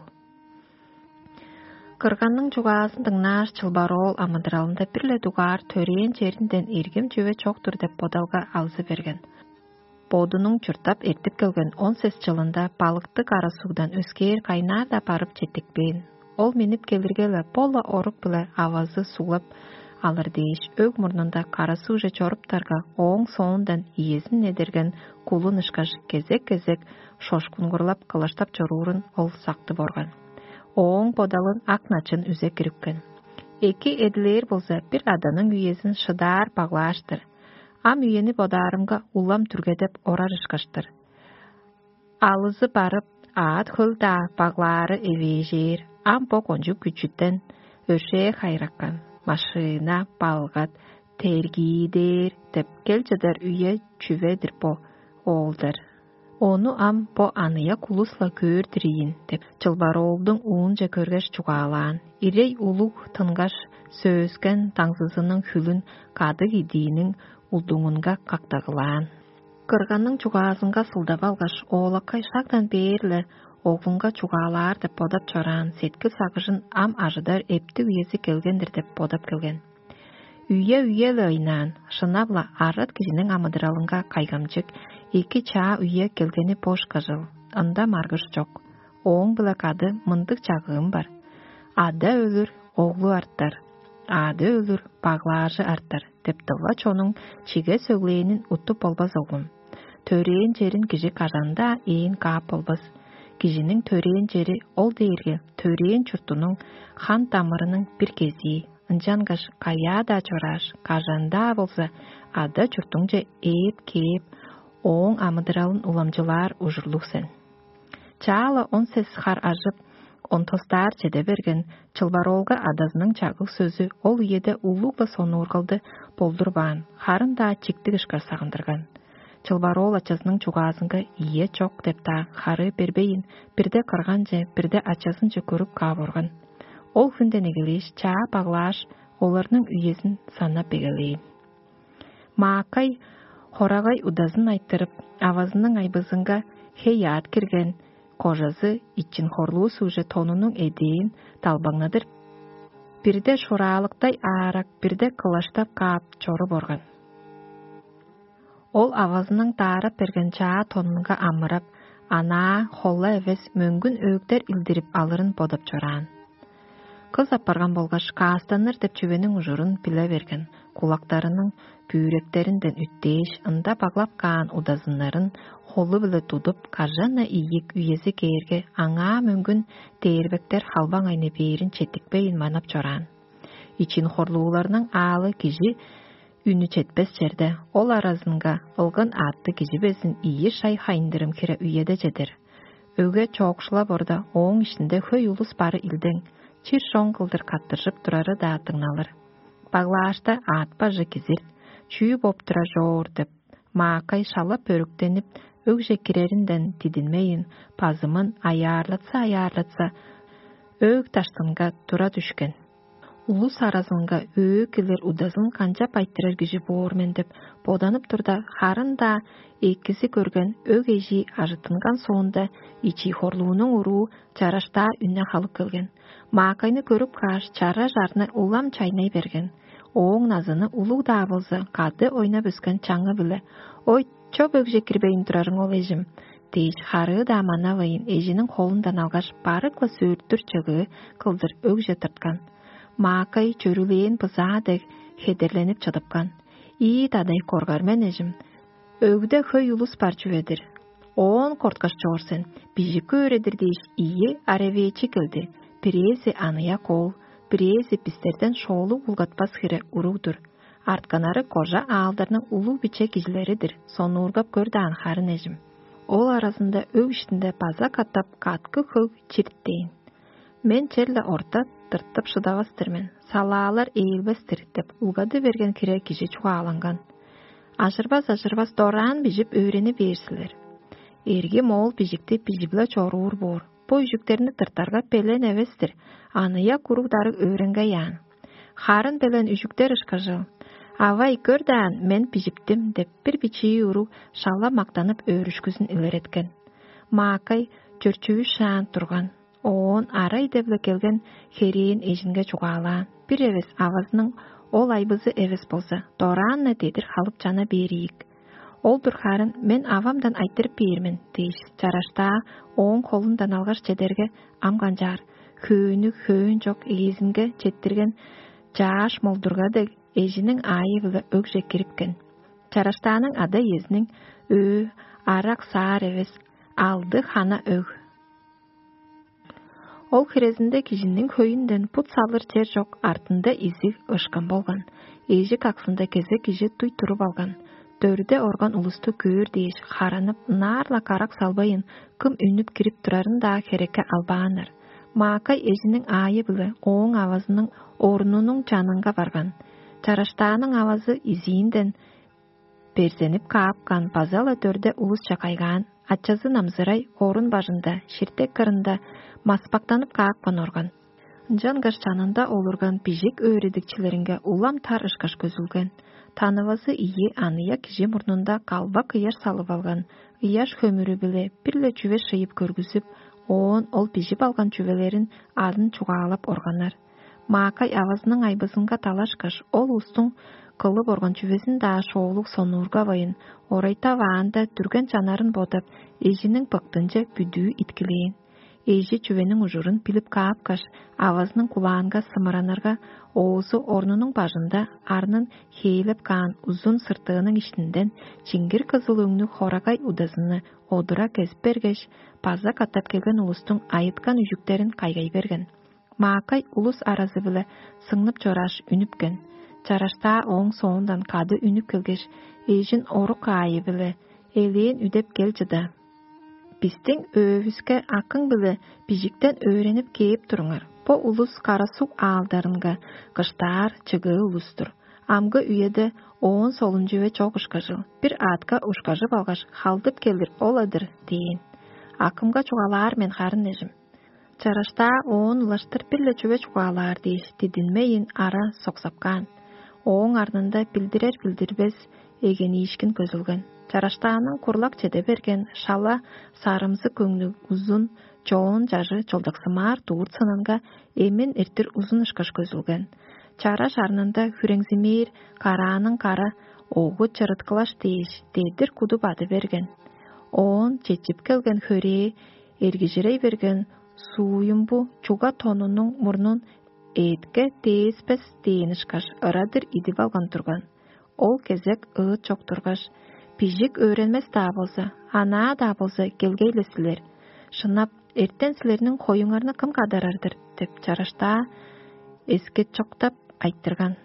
Кырганның чугаазын дыңнааш, чылбар оол амыдыралында бир-ле дугаар төрээн черинден эргим чүве чок-тур деп бодалга алзы берген. Бодунуң чурттап эртип келген он сес чылында балыктыг ара сугдан өскээр кайнаар-даа барып четтикпээн. Ол миннип келирге-ле, бо-ла орук-биле авазы суглап алыр дээш, өг мурнунда кара сугже чоруптарга, ооң соондан иезин недерген кулун ышкаш, кезек-кезек шошкунгурлап, кылаштап чоруурун ол сактып орган. Ооң бодалын ак начын үзе кирипкен. Эки эдилээр болза, бир аданың үезин шыдаар баглааш-тыр. Ам үени бодаарымга, улам түргедеп орар ышкаш-тыр. Алызы барып, аът хөл-даа баглаары эвээжээр, ам бо кончуг күчүтен өршээ хайыраккан, машина, балгат, тергии дээр деп кел чыдар үе чүве-дир бо, оолдар. Ону ам бо аныяк улус-ла көөр-дир ийин деп, чылбар оолдуң уунче көргеш чугаалаан. Ирей улуг тынгаш, сөөскен даңзызының хүлүн кадыг идииниң улдуңунга кактагылаан. Кырганның чугаазынга сылдап алгаш, оолакай шагдан бээр-ле оглунга чугаалаар деп бодап чораан сеткил сагыжын ам ажыдар эптиг үези келген-дир деп бодап келген. Үе-үе-ле ыйнаан, шынап-ла арат кижиниң амыдыралынга кайгамчык, эки чаа үе келгени бо ышкажыл, ында маргыш чок. Ооң-биле кады мындыг чагыым бар: «Ада өлүр, оглу артар, аъды өлүр, баглаажы артар» деп дыва чонуң чиге сөглээнин уттуп болбас, оглум. Төрээн черин кижи кажан-даа ээн каап болбас. Кижиниң төрээн чери ол дээрге төрээн чуртунуң хан-дамырының бир кезии. Ынчангаш каяа-даа чорааш, кажан-даа болза ада чуртуңче ээп кээп, ооң амыдыралын уламчылаар ужурлуг сен. Чаа-ла он сес хар ажып, он тостаар чеде берген чылбароолга адазының чагыг сөзү ол үеде улуг-ла сонуургалды болдурбаан, харын-даа чиктиг ышкаш сагындырган. Чылбароол ачазының чугаазынга «ийе, чок» деп-даа харыы бербейн, бирде кырганче, бирде ачазынче көрүп каап орган. Ол хүнден эгелээш чаа баглааш, оларның үезин санап эгелээн. Маакай хорагай удазын айтырып, авазының айбызынга хей-аът кирген, кожазы ичин хорлуу сугже тонунуң эдээн далбаңнадыр. Бирде шораалыктай аарак, бирде кылаштап каап чоруп орган. Ол авазының даарап берген чаа тонунга амырап, анаа холла эвес мөңгүн өөктер илдирип алырын бодап чораан. Кыс апарган болгаш каастаныр деп чүвениң ужурун биле берген, кулактарының бүүректеринден үттээш, ында баглап каан удазыннарын холу-биле тудуп, кажан-на ийик үези кээрге, аңаа мөңгүн дээрбектер халбаң айны бээрин четтикпейн манап чораан. Ичин хорлууларның аалы кижи үнү четпес черде, ол аразынга ылган аътты кижи безин ийи шай хайындырым хире үеде чедер. Өге чоокшулап орда, ооң иштинде хөй улус бары илдең, чир-чон кылдыр каттыржып турары-даа дыңналыр. Баглаашта аът бажы кизир, чүү боп турар чоор деп, маакай шала бөрүктенип, өгже киреринден дидинмейн, базымын аяарлатса-аяарлатса, өг даштынга тура дүшкен. Улус аразынга өө килир удазын канчап айтырар кижи боор мен деп боданып турда, харын-даа экизи көрген өг эжии ажыттынган соонда, ичии хорлуунуң уруу чараштаа үнне халып келген. Маакайны көрүп кааш, чара чарны улам чайнай берген. Ооң назыны улуг-даа болза, кады ойнап өскен чаңы-биле: «Ой, чоп өгже кирбейн турарың ол, эжим» – дээш, харыы-даа манавайн, эжиниң холундан алгаш, барык-ла сөөртүр чыгыы кылдыр өгже тырткан. Маакай чөрүлээн бызаа дег хедерленип чыдыпкан. «Ийи-дадай коргар мен, эжим. Өгде хөй улус бар чүве-дир. Оон корткаш чоор сен, бижик көөр-дир» – дээш, ийи аревээчи келди. Бирээзи аныяк оол, бирээзи бистерден шоолуг улгатпас хире уруг-дур. Артканнары кожа аалдарның улуг-биче кижилери-дир, сонуургап көр даан, харын эжим. Ол аразында өг иштинде база катап каткы хөг чирттээн. «Мен черле орта тыртып шыдавас-тыр мен, салаалар ээлбес-тир» – деп улгады берген хире кижи чугааланган. Ажырбас-ажырбас дораан бижип өөрени бээр силер. Эрги моол бижикти бижип-ла чоруур боор. Бо үжүктерни тыртарга белен эвес-тир, аныяк уруг-дарыг өөренгей аан. Харын белен үжүктер ышкажыл. «Авай, көр даан, мен бижиптим» – деп, бир бичии уруг шала мактанып, өөрүшкүзүн илереткен. Маакай чөрчүүшаан турган. Оон арай деп-ле келген херээн эжинге чугаалаан: «Бир эвес авазының ол айбызы эвес болза, дораан-на дедир халып чана бээр ийик. Ол-дур харын, мен авамдан айтырып бээр мен» – дээш, чараштаа ооң холундан алгаш чедерге, ам канчаар, хөөнү хөөн чок ээзинге четтирген чааш молдурга дег, эжиниң аайы-биле өгже кирипкен. Чараштааның ада-иезиниң өө арак-саар эвес, алды хана өг. Ол хирезинде кижиниң хөйүнден бут салыр чер чок, артында изиг ышкан болган. Эжик аксында кезек кижи дуй туруп алган. Дөрде орган улусту көөр дээш, харанып, ынаар-ла карак салбайн, кым үнүп кирип турарын-даа херекке албааннар. Маакай эжиниң аайы-биле ооң авазының орнунуң чанынга барган. Чараштааның авазы изиинден берзенип каапкан, база-ла дөрде улусче кайгаан. Ачазы намзырай орун бажында, ширтек кырында маспактанып каапкан орган. Ынчангаш чанында олурган бижик өөредикчилеринге улам тар ышкаш көзүлген. Танывазы ийи аныяк кижи мурнунда калбак ыяш салып алган, ыяш хөмүрү-биле бир-ле чүве шыйып көргүзүп, оон ол бижип алган чүвелерин адын чугаалап органнар. Маакай авазының айбызынга талашкаш, ол улустуң кылып орган чүвезин-даа шоолуг сонуургавайн, орайтаваанда дүрген чанарын бодап, эжиниң быктынче бүдүү иткилээн. Эжи чүвениң ужурун билип каапкаш, авазының кулаанга сымыранырга, оозу орнунуң бажында арнын хээлеп каан узун сыртыының иштинден чиңгир кызыл өңнүг хорагай удазыны одура кезип бергеш, база катап келген улустуң айыткан үжүктерин кайгай берген. Маакай улус аразы-биле сыңнып чорааш, үнүпкен. Чараштаа ооң соондан кады үнүп келгеш, эжин орук аайы-биле элээн үдеп кел чыда. Бистиң өөвүске акың-биле бижиктен өөренип кээп туруңар. Бо улус карасуг аалдарынга кыштаар чыгыы улус-тур. Амгы үеде оон солун чүве чок ышкажыл, бир аътка ушкажып алгаш, халдып келир ол-адыр дээн. Акымга чугаалаар мен харын эжим. Чараштаа оон улаштыр бир-ле чүве чугаалаар дээш, дидинмейн ара соксапкаан. Ооң арнында билдирер-билдирбес эгениишкин көзүлген. Чараштааның курлак чеде берген шала сарымзы көңнүг узун чоон чажы чылдыксымаар дуур сынынга эмин эртир узун ышкаш көзүлген. Чара шарнында хүреңзимээр карааның кара огу чырыткылаш дээш, дедир куду бады берген. Оон чечип келген хөрээ эргижирей берген сууюмбу чуга тонунуң мурнун эътке дээспес дээн ышкаш ырадыр идип алган турган. Ол кезек ыыт чок тургаш, бижик өөренмес-даа болза, анаа-даа болза, келгей-ле силер. Шынап, эртен силерниң хоюңарны кым кадарар-дыр деп чараштаа эскетчоктап айтырган.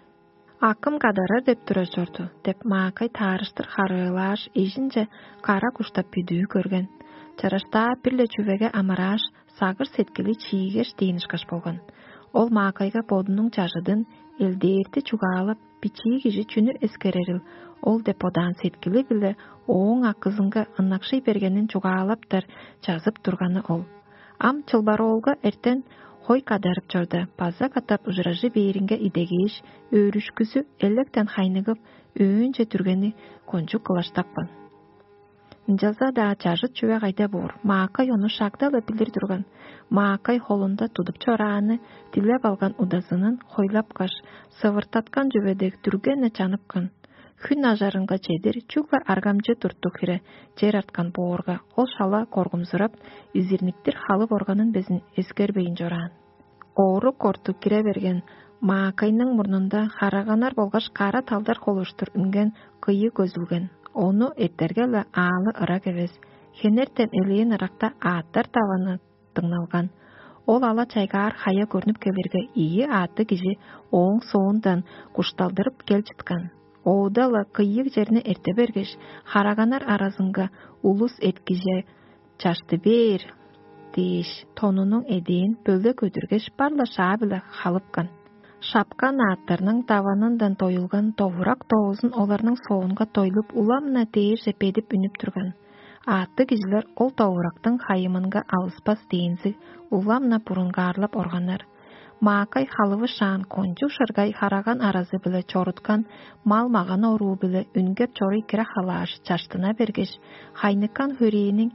А кым кадарар деп турар чорду деп, маакай таарыштыр харыылааш, эжинче кара куштап бүдүү көрген. Чараштаа бир-ле чүвеге амырааш, сагыш-сеткили чиигеш дээн ышкаш болган. Ол маакайга бодунуң чажыдын элдээрти чугаалап, бичии кижи чүнү эскерерил ол деп бодаан сеткили-биле ооң акызынга ынакшый бергенин чугаалаптар чазып турганы ол. Ам чылбароолга эртен хой кадарып чорда, база катап ужуражы бээринге идегээш, өөрүшкүзү электен хайныгып, өөнче дүргени кончуг кылаштапкан. Ынчалза-даа чажыт чүве кайда боор, маакай ону шагда-ла билир турган. Маакай холунда тудуп чорааны дилеп алган удазынын хойлапкаш, сывыртаткан чүве дег дүрген-не чаныпкан. Хүн ажарынга чедир чүгле аргамчы туртуг хире чер арткан боорга, ол шала коргумзурап, изирниктир халып органын безин эскербейн чораан. Оору корту кире берген маакайның мурнунда хараганар болгаш кара талдар холуштур үнген кыйы көзүлген. Ону эртерге-ле аалы ырак эвес, хенертен элээн ыракта аъттар даваны дыңналган. Ол ала чайгаар хая көрнүп келирге, ийи аъттыг кижи ооң соондан кушталдырып кел чыткан. Оуда-ла кыйыг черни эрте бергеш, хараганар аразынга улус эткиже чашты бээр дээш, тонунуң эдээн бөле көдүргеш, бар-ла шаа-биле халыпкан. Шапкан аъттарның даванындан доюлган довурак доозун оларның соонга дойлуп, улам-на дээрже бедип үнүп турган. Аъттыг кижилер ол довурактың хайымынга алыспас дээнзиг, улам-на бурунгаарлап органнар. Маакай халывышаан кончуг шыргай хараган аразы-биле чоруткан мал-маган оруу-биле үнгеп чоруй кире халааш, чаштына бергеш, хайныккан хөрээниң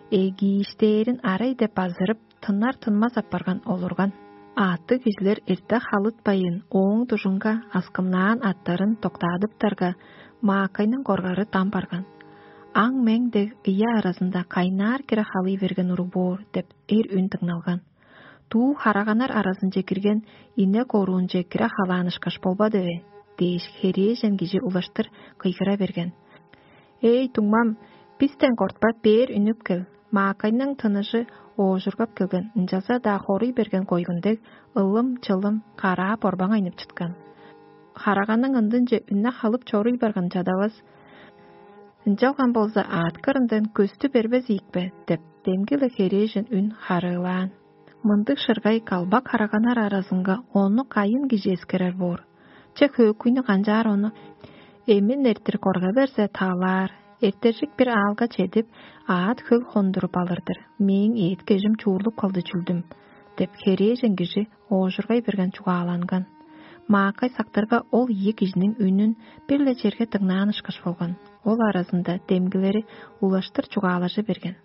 эгииштээрин арай деп базырып, тыннар-тынмас апарган олурган. Аъттыг кижилер эрте халытпайын, ооң дужунга аскымнаан аттарын доктаадыптарга, маакайның коргары дам барган. Аң-мең дег ыя аразында кайнаар кире халый берген уруг боор деп эр үн дыңналган. Дуу хараганар аразынче кирген инек оруунче кире халаанышкаш болбады бе? Дээш, херээжен кижи улаштыр кыйгыра берген. Эй, дуңмам, бистен кортпа, бээр үнүп кел. Маакайның тыныжы оожургап келген, ынчалза-даа хоруй берген койгун дег, ылым-чылым караа борбаңайнып чыткан. Хараганың ындынче үнне халып чоруй барган чадавас. Ынчалган болза, аът кырындан көстү бербес ийикпе деп, демги-ле херээжен үн харыылаан. Мындыг шыргай калбак хараганар аразынга ону кайын кижи эскерер боор? Че, хөөкүйнү канчаар ону эмин эртир корга берзе, таалаар, Эртежик бир аалга чедип, аът хөл хондуруп алыр-дыр, мээң эът-кежим чуурлуп калды чүлдүм» — деп, херээжен кижи оожургай берген чугааланган. Маакай сактырга ол ийи кижиниң үнүн бир-ле черге дыңнаан ышкаш болган. Ол аразында демгилери улаштыр чугаалажы берген.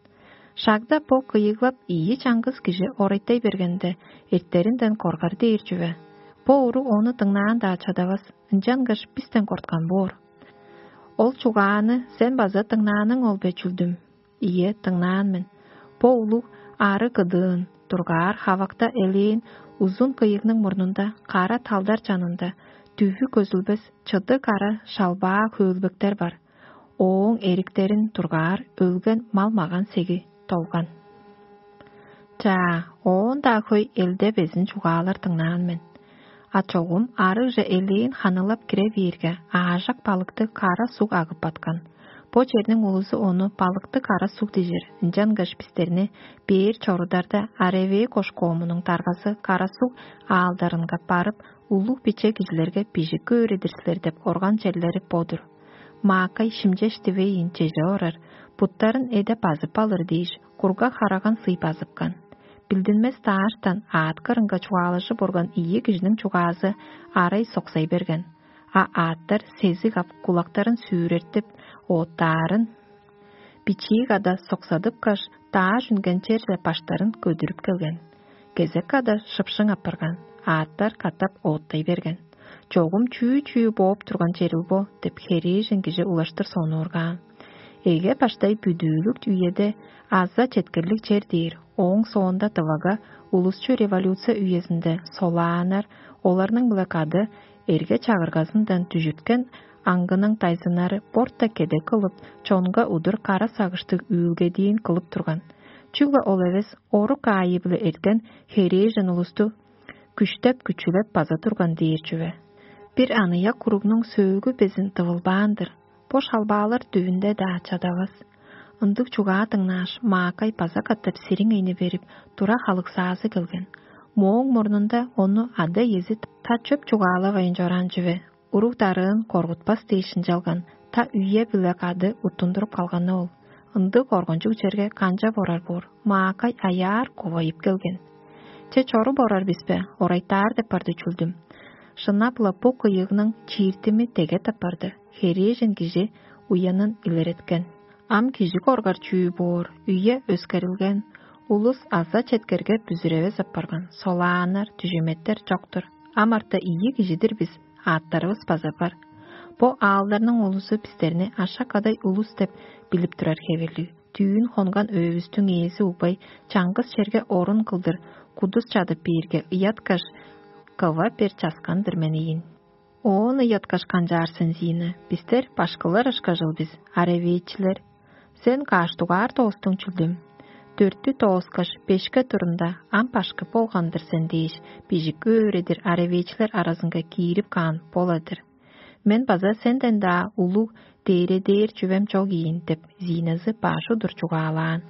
Шагда бо кыйыглап ийи чаңгыс кижи орайтай бергенде, эртеринден коргар дээр чүве. Бо уруг ону дыңнаан-даа чадавас, ынчангаш бистен корткан боор. Ол чугааны сен база дыңнааның ол бе, чүлдүм? Ийе, дыңнаан мен. Бо улуг ары кыдыын, дургаар хавакта элээн узун кыйыгның мурнунда, кара талдар чанында дүвү көзүлбес чыды кара шалбаа хөөлбектер бар. Ооң эриктерин дургаар өлген мал-маган сеги долган. Чаа, оон-даа хөй элде безин чугаалар дыңнаан мен. А чогум арыгже элээн ханылап кире бээрге, аажак балыкты кара суг агып баткан. Бо черниң улузу ону балыкты кара суг дижир, ынчангаш бистерни бээр чорударда Аревээ кошкоомунуң даргазы кара суг аалдарынга барып, улуг биче кижилерге бижик өөредир силер деп орган черлери бо-дур. Маакай шимчеш дивейн чеже орар, буттарын эде базып алыр дээш, кургаг хараган сый базыпкан. Билдинмес дааштан аът кырынга чугаалажып орган ийи кижиниң чугаазы арай соксай берген. А аъттар сезиг ап, кулактарын сүүрертип, оттаарын бичии када соксадыпкаш, дааш үнген черже баштарын көдүрүп келген. Кезек када шыпшың апарган, аъттар катап ооттай берген. Чогум чүү-чүү бооп турган черил бо деп, херээжен кижи улаштыр сонуургаан. Эге баштай бүдүүлүк үеде аза четкерлиг чер дээр, ооң соонда дывага улусчу революция үезинде солааннар, оларның-биле кады эрге чагыргазындан дүжүткен аңгының дайзыннары борта кеде кылып, чонга удур кара сагыштыг үүлгедиин кылып турган. Чүгле ол эвес, орук аайы-биле эрткен херээжен улусту күштеп-күчүлеп база турган дээр чүве. Бир аныяк уругнуң сөөлгү безин тывылбаан-дыр. Бо шалбаалар дүвүнде-даа чадавас. Ындыг чугаа дыңнааш, Маакай база катап сириңейни берип, тура халыксаазы келген. Мооң мурнунда ону ада-иези та чөп чугаалавайн чораан чүве. Уруг-дарыын коргутпас дээш ынчалган, та үе-биле кады уттундуруп калганы ол. Ындыг коргунчуг черге канчап орар боор? Маакай аяар кувайып келген. Че, чоруп орар бис бе, орайтаар деп барды чүлдүм. Шынап-ла бо кыйыгның чииртими деге тыппарды, херээжен кижи уянын илереткен. Ам кижи коргар чүү боор, үе өскерилген, улус аза четкерге бүзүревес апарган, солааннар, дүжеметтер чок-тур. Ам арта ийи кижи-дир бис, аъттарывыс база бар. Бо аалдарның улузу бистерни ашак-кадай улус деп билип турар хевирлиг. Түүн хонган өөбүстүң ээзи угбай чаңгыс черге орун кылдыр кудус чадып бээрге, ыяткаш, кыва бер часкан-дыр мен ийин. Оон ыяткаш канчаар сен, Зина? Бистер башкылар ышкажыл бис, аревеечилер. Сен каш дугаар тоостуң чүлдүм? Дөрттү тооскаш, бешке турунда ам башкы болган-дыр сен дээш, бижик өөредир аревеечилер аразынга киирип каан бола-дыр. Мен база сенден-даа улуг дээредээр чүвем чок ийин деп, Зиназы баш удур чугаалаан.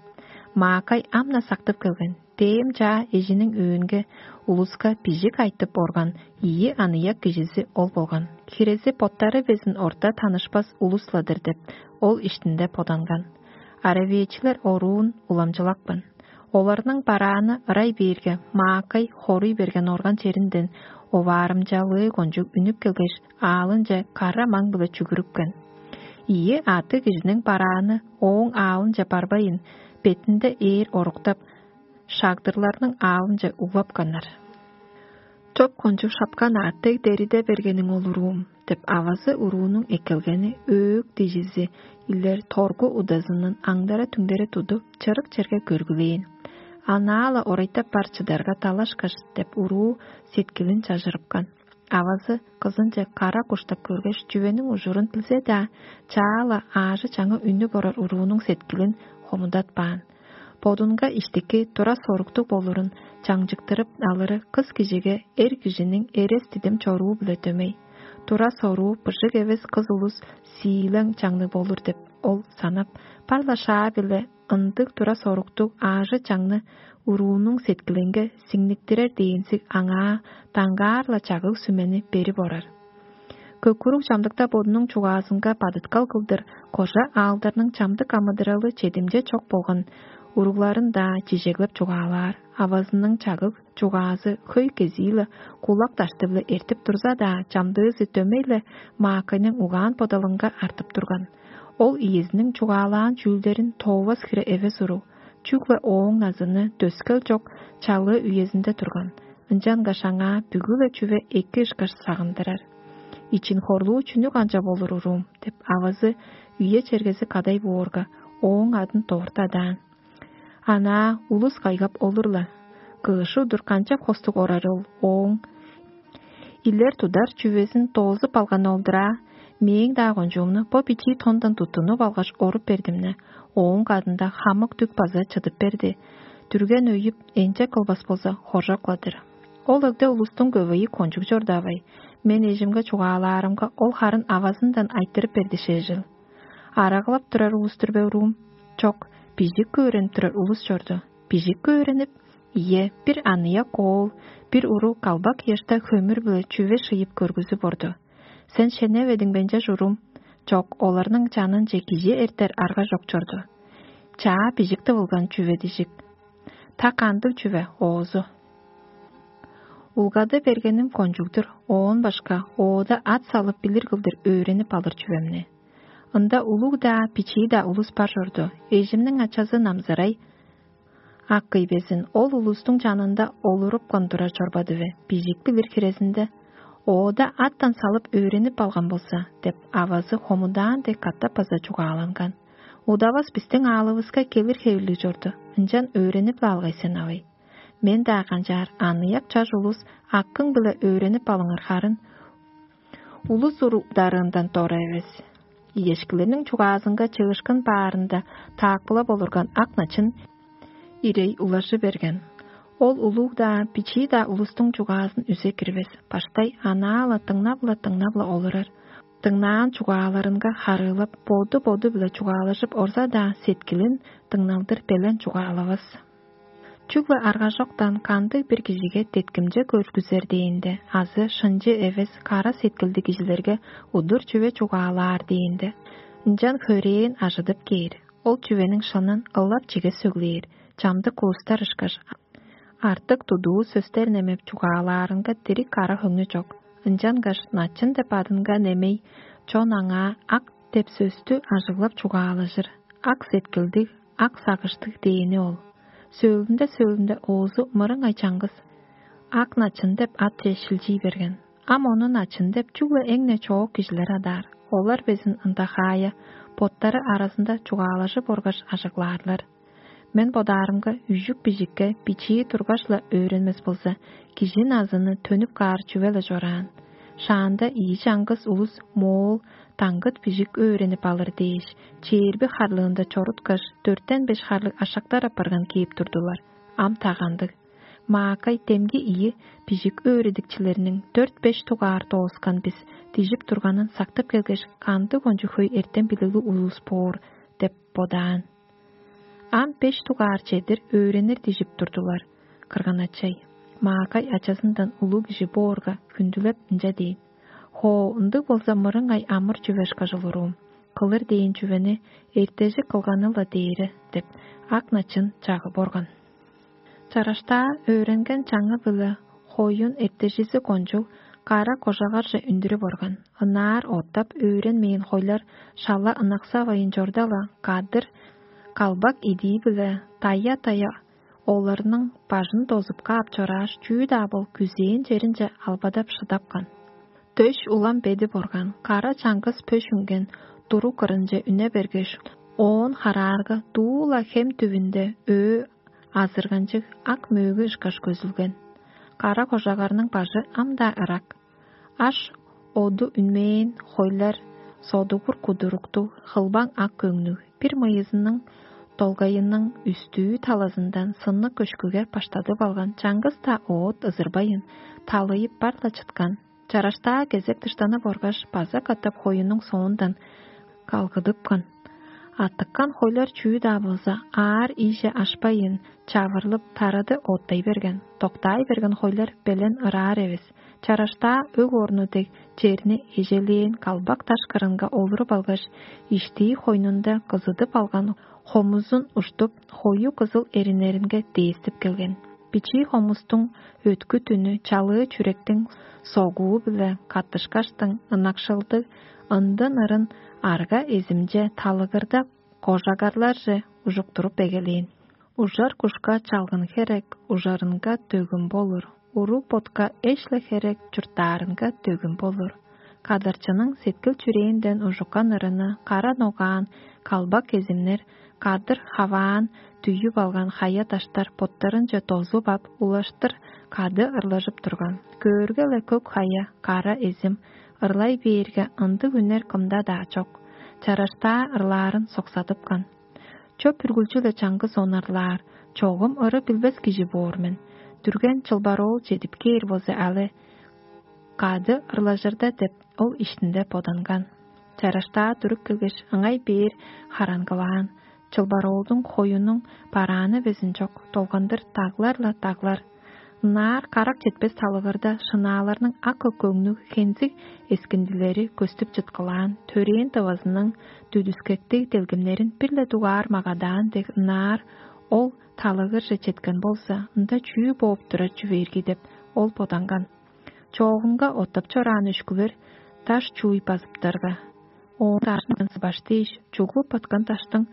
Маакай ам-на сактып келген, дээм чаа эжиниң өөнге улуска бижик айтып орган ийи аныяк кижизи ол болган. Хирези боттары безин орта танышпас улус-ла-дыр деп, ол иштинде боданган. Аравээчилер оруун уламчылапкан. Оларның барааны ырай бээрге, Маакай хоруй берген орган черинден оваарымчалыы кончуг үнүп келгеш, аалынче кара маң-биле чүгүрүпкен. Ийи аъттыг кижиниң барааны ооң аалынче барбайын, бетинде ээр оруктап, шагдырларның аалынче углапканнар. «Чоп кончуг шапкан аъттыг дериде бергениң ол, уруум» — деп, авазы уруунуң эккелгени, өөк дижизи илер торгу удазынын аңдара-түңдере тудуп, чырык черге көргүлээн. Анаа-ла орайтап бар чыдарга далашкаш деп, уруу сеткилин чажырыпкан. Авазы кызынче кара куштап көргеш, чүвениң ужурун билзе-даа, чаа-ла аажы-чаңы үнүп орар уруунуң сеткилин хомудатпаан. Бодунга иштики тура соруктуг болурун чаңчыктырып алыры кыс кижиге эр кижиниң эрес-дидим чоруу-биле дөмей. Тура соруу быжыг эвес кыс улус сиилең чаңныг болур деп ол санап, бар-ла шаа-биле ындыг тура соруктуг аажы-чаңны уруунуң сеткилинге сиңниктирер дээнзиг аңаа даңгаар-ла чагыг-сүмени берип орар. Көкүрүг чамдыкта бодунуң чугаазынга бадыткал кылдыр, кожа аалдарның чамдык амыдыралы чедимче чок болган уругларын-даа чижеглеп чугаалаар, авазының чагыг чугаазы хөй кезии-ле кулак дашты-биле эртип турза-даа, чамдыызы дөмей-ле Маакайның угаан-бодалынга артып турган. Ол иезиниң чугаалаан чүүлдерин тоовас хире эвес уруг, чүгле ооң назыны дөскел чок чалыы үезинде турган, ынчангаш аңаа бүгү-ле чүве эки ышкаш сагындырар. «Ичин хорлуу чүнү канчап болур, уруум?» — деп, авазы үе чергези кадай боорга, ооң адын довуртадаан. Анаа улус кайгап олур-ла. Кыышы удур канчап хостуг орар ол ооң? Илер тудар чүвезин доозуп алган ол-дур аа. Мээң-даа кончуумну бо бичии тондан туттунуп алгаш, оруп бердим-не. Ооң кадында хамык дүк база чыдып берди. Дүрген өйүп, энче кылбас болза, хоржок-ла-дыр. Ол өгде улустуң көвейи кончуг чордавай. Мен эжимге чугаалаарымга, ол харын авазындан айтырып берди шежил. Араглап турар улус-тур бе, уруум? Чок, бижик өөренип турар улус чорду. Бижик өөренип? Ийе, бир аныяк оол, бир уруг калбак ыяшта хөмүр-биле чүве шыйып көргүзүп орду. Сен шеневедиң бе, ынчаш, уруум? Чок, оларның чанынче кижи эртер арга чок чорду. Чаа бижик тывылган чүве дижик. Та кандыг чүве оозу? Улгады бергеним кончуг-дур, оон башка оода ат салып билир кылдыр өөренип алыр чүвемни. Ында улуг-даа, бичии-даа улус бар чорду. Эжимниң ачазы Намзырай ак кый безин, ол улустуң чанында олурупкан турар чорбады бе, бижик билир хирезинде. Оода аттан салып өөренип алган болза, деп, авазы хомудаан дег катап база чугааланган. Удавас бистиң аалывыска келир хевирлиг чорду, ынчан өөренип-ле алгай сен, авай. Мен-даа канчаар, аныяк чаш улус, аккың-биле өөренип алыңар харын, улус урударыындан дора эвес. Иешкилерниң чугаазынга чыышкын баарында таакпылап олурган ак начын ирей улажы берген. Ол улуг-даа, бичии-даа улустуң чугаазын үзе кирбес, баштай анаа-ла дыңнап-ла, дыңнап-ла олурар. Дыңнаан чугааларынга харыылап, боду-боду-биле чугаалажып орза-даа, сеткилин дыңналдыр белен чугаалавас. Чүгле аргажоктан кандыг-бир кижиге деткимче көргүзер дээнде азы шынчы эвес кара сеткилдиг кижилерге удур чүве чугаалаар дээнде, ынчан хөрээн ажыдып кээр, ол чүвениң шынын ылап чиге сөглээр, чамдык улустар ышкаш, артык тудуу сөстер немеп чугаалаарынга дириг кара хөңнү чок. Ынчангаш начын деп адынга немей чон аңаа ак деп сөстү ажыглап чугаалажыр, ак сеткилдиг, ак сагыштыг дээни ол. Сөөлүнде-сөөлүнде оозу мырыңай чаңгыс ак начын деп атче шилчий берген. Ам ону начын деп чүгле эң-не чоок кижилер адаар. Олар безин ында хаая, боттары аразында чугаалажып оргаш ажыглаарлар. Мен бодаарымга, үжүк бижикке бичии тургаш-ла өөренмес болза, кижи назыны төнүп каар чүве-ле чораан. Шаанда ийи чаңгыс улус моол даңгыт бижик өөренип алыр дээш, чээрби харлыында чоруткаш, дөртен беш харлыг ашактар апарган кээп турдулар. Ам тагандыг. Маакай демги ийи бижик өөредикчилерниң дөрт-беш дугаар дооскан бис дижип турганын сактып келгеш, кандыг кончуг хөй эртем билиглиг улус боор деп бодаан. Ам беш дугаар чедир өөренир дижип турдулар. Кырган-ачай, Маакай ачазындан улуг кижи боорга хүндүлеп ынча дээн: «Хоо, ындыг болза, мырыңай амыр чүве ышкажыл уруум. Кылыр дээн чүвени эртежи кылганы-ла дээри» — деп, ак начын чагып орган. Чараштаа өөренген чаңы-биле хоюн эртежизи кончуг кара кожагарже үндүрүп орган. Ынаар оттап өөренмээн хойлар шала ынаксавайн чорда-ла, кадыр калбак идии-биле тая-тая оларның бажын дозуп каап чорааш, чүү-даа бол күзээн черинче албадап шыдапкан. Дөш улам бедип орган, кара чаңгыс пөш үнген туруг кырынче үне бергеш, оон хараарга дуу-ла хем түвүнде өө азырганчыг ак мөөгү ышкаш көзүлген. Кара кожагарның бажы ам-даа ырак. Аш оду үнмээн хойлар содугур кудуруктуг, хылбаң ак көңнүг, бир мыйызының долгайының үстүү талазындан сынныг көшкүге баштадып алган чаңгыс-даа оът ызырбайын, талыйып бар-ла чыткан. Чараштаа кезек дыштанып оргаш, база катап хоюнуң соондан калгыдыпкан. Аттыккан хойлар чүү-даа болза, аар ийже ашпайын, чавырлып, тарады оттай берген, доктаай берген хойлар белен ыраар эвес. Чараштаа өг орну дег черни эжелээн калбак даш кырынга олуруп алгаш, иштии хойнунда кызыдып алган хомузун уштуп, хою кызыл эриннеринге дээстип келген. Бичии хомустуң өткү түнү чалыы чүректиң согуу-биле каттышкаштың, ынакшылдыг ындын ырын арга эзимче талыгырда кожагарларже ужуктуруп эгелээн. Ужар кушка чалгын херек, ужарынга дөгүм болур, уруг ботка эш-ле херек, чурттаарынга дөгүм болур. Кадарчының сеткил-чүрээнден ужуккан ырыны кара ногаан калбак кезимнер, кадыр хаваан дүйүп алган хая-даштар боттарынче дозуп ап, улаштыр кады ырлажып турган. Көөрге-ле көк хая, кара эзим, ырлай бээрге, ындыг үнер кымда-даа чок. Чараштаа ырлаарын соксадыпкан. Чоп үргүлчү-ле чаңгыс онарлаар, чогум ыры билбес кижи боор мен. Дүрген чылбар оол чедип кээр болза алы, кады ырлажырда деп, ол иштинде боданган. Чараштаа туруп келгеш, ыңай бээр хараңгылаан. Чылбар оолдуң хоюнуң барааны безин чок, долгандыр даглар-ла даглар. Ынаар карак четпес талыгырда шынааларның ак-көк көңнүг хензиг эскиндилери көстүп чыткылаан, төрээн дывазының дүдүскектиг делгемнерин бир-ле дугаар магадаан дег ынаар ол талыгырже четкен болза, ында чүү бооп турар чүвээрги деп, ол боданган. Чоогунга оттап чораан өшкүлер даш чууй базыптарга, оон дашындан сыбаш дээш, чуглуп баткан даштың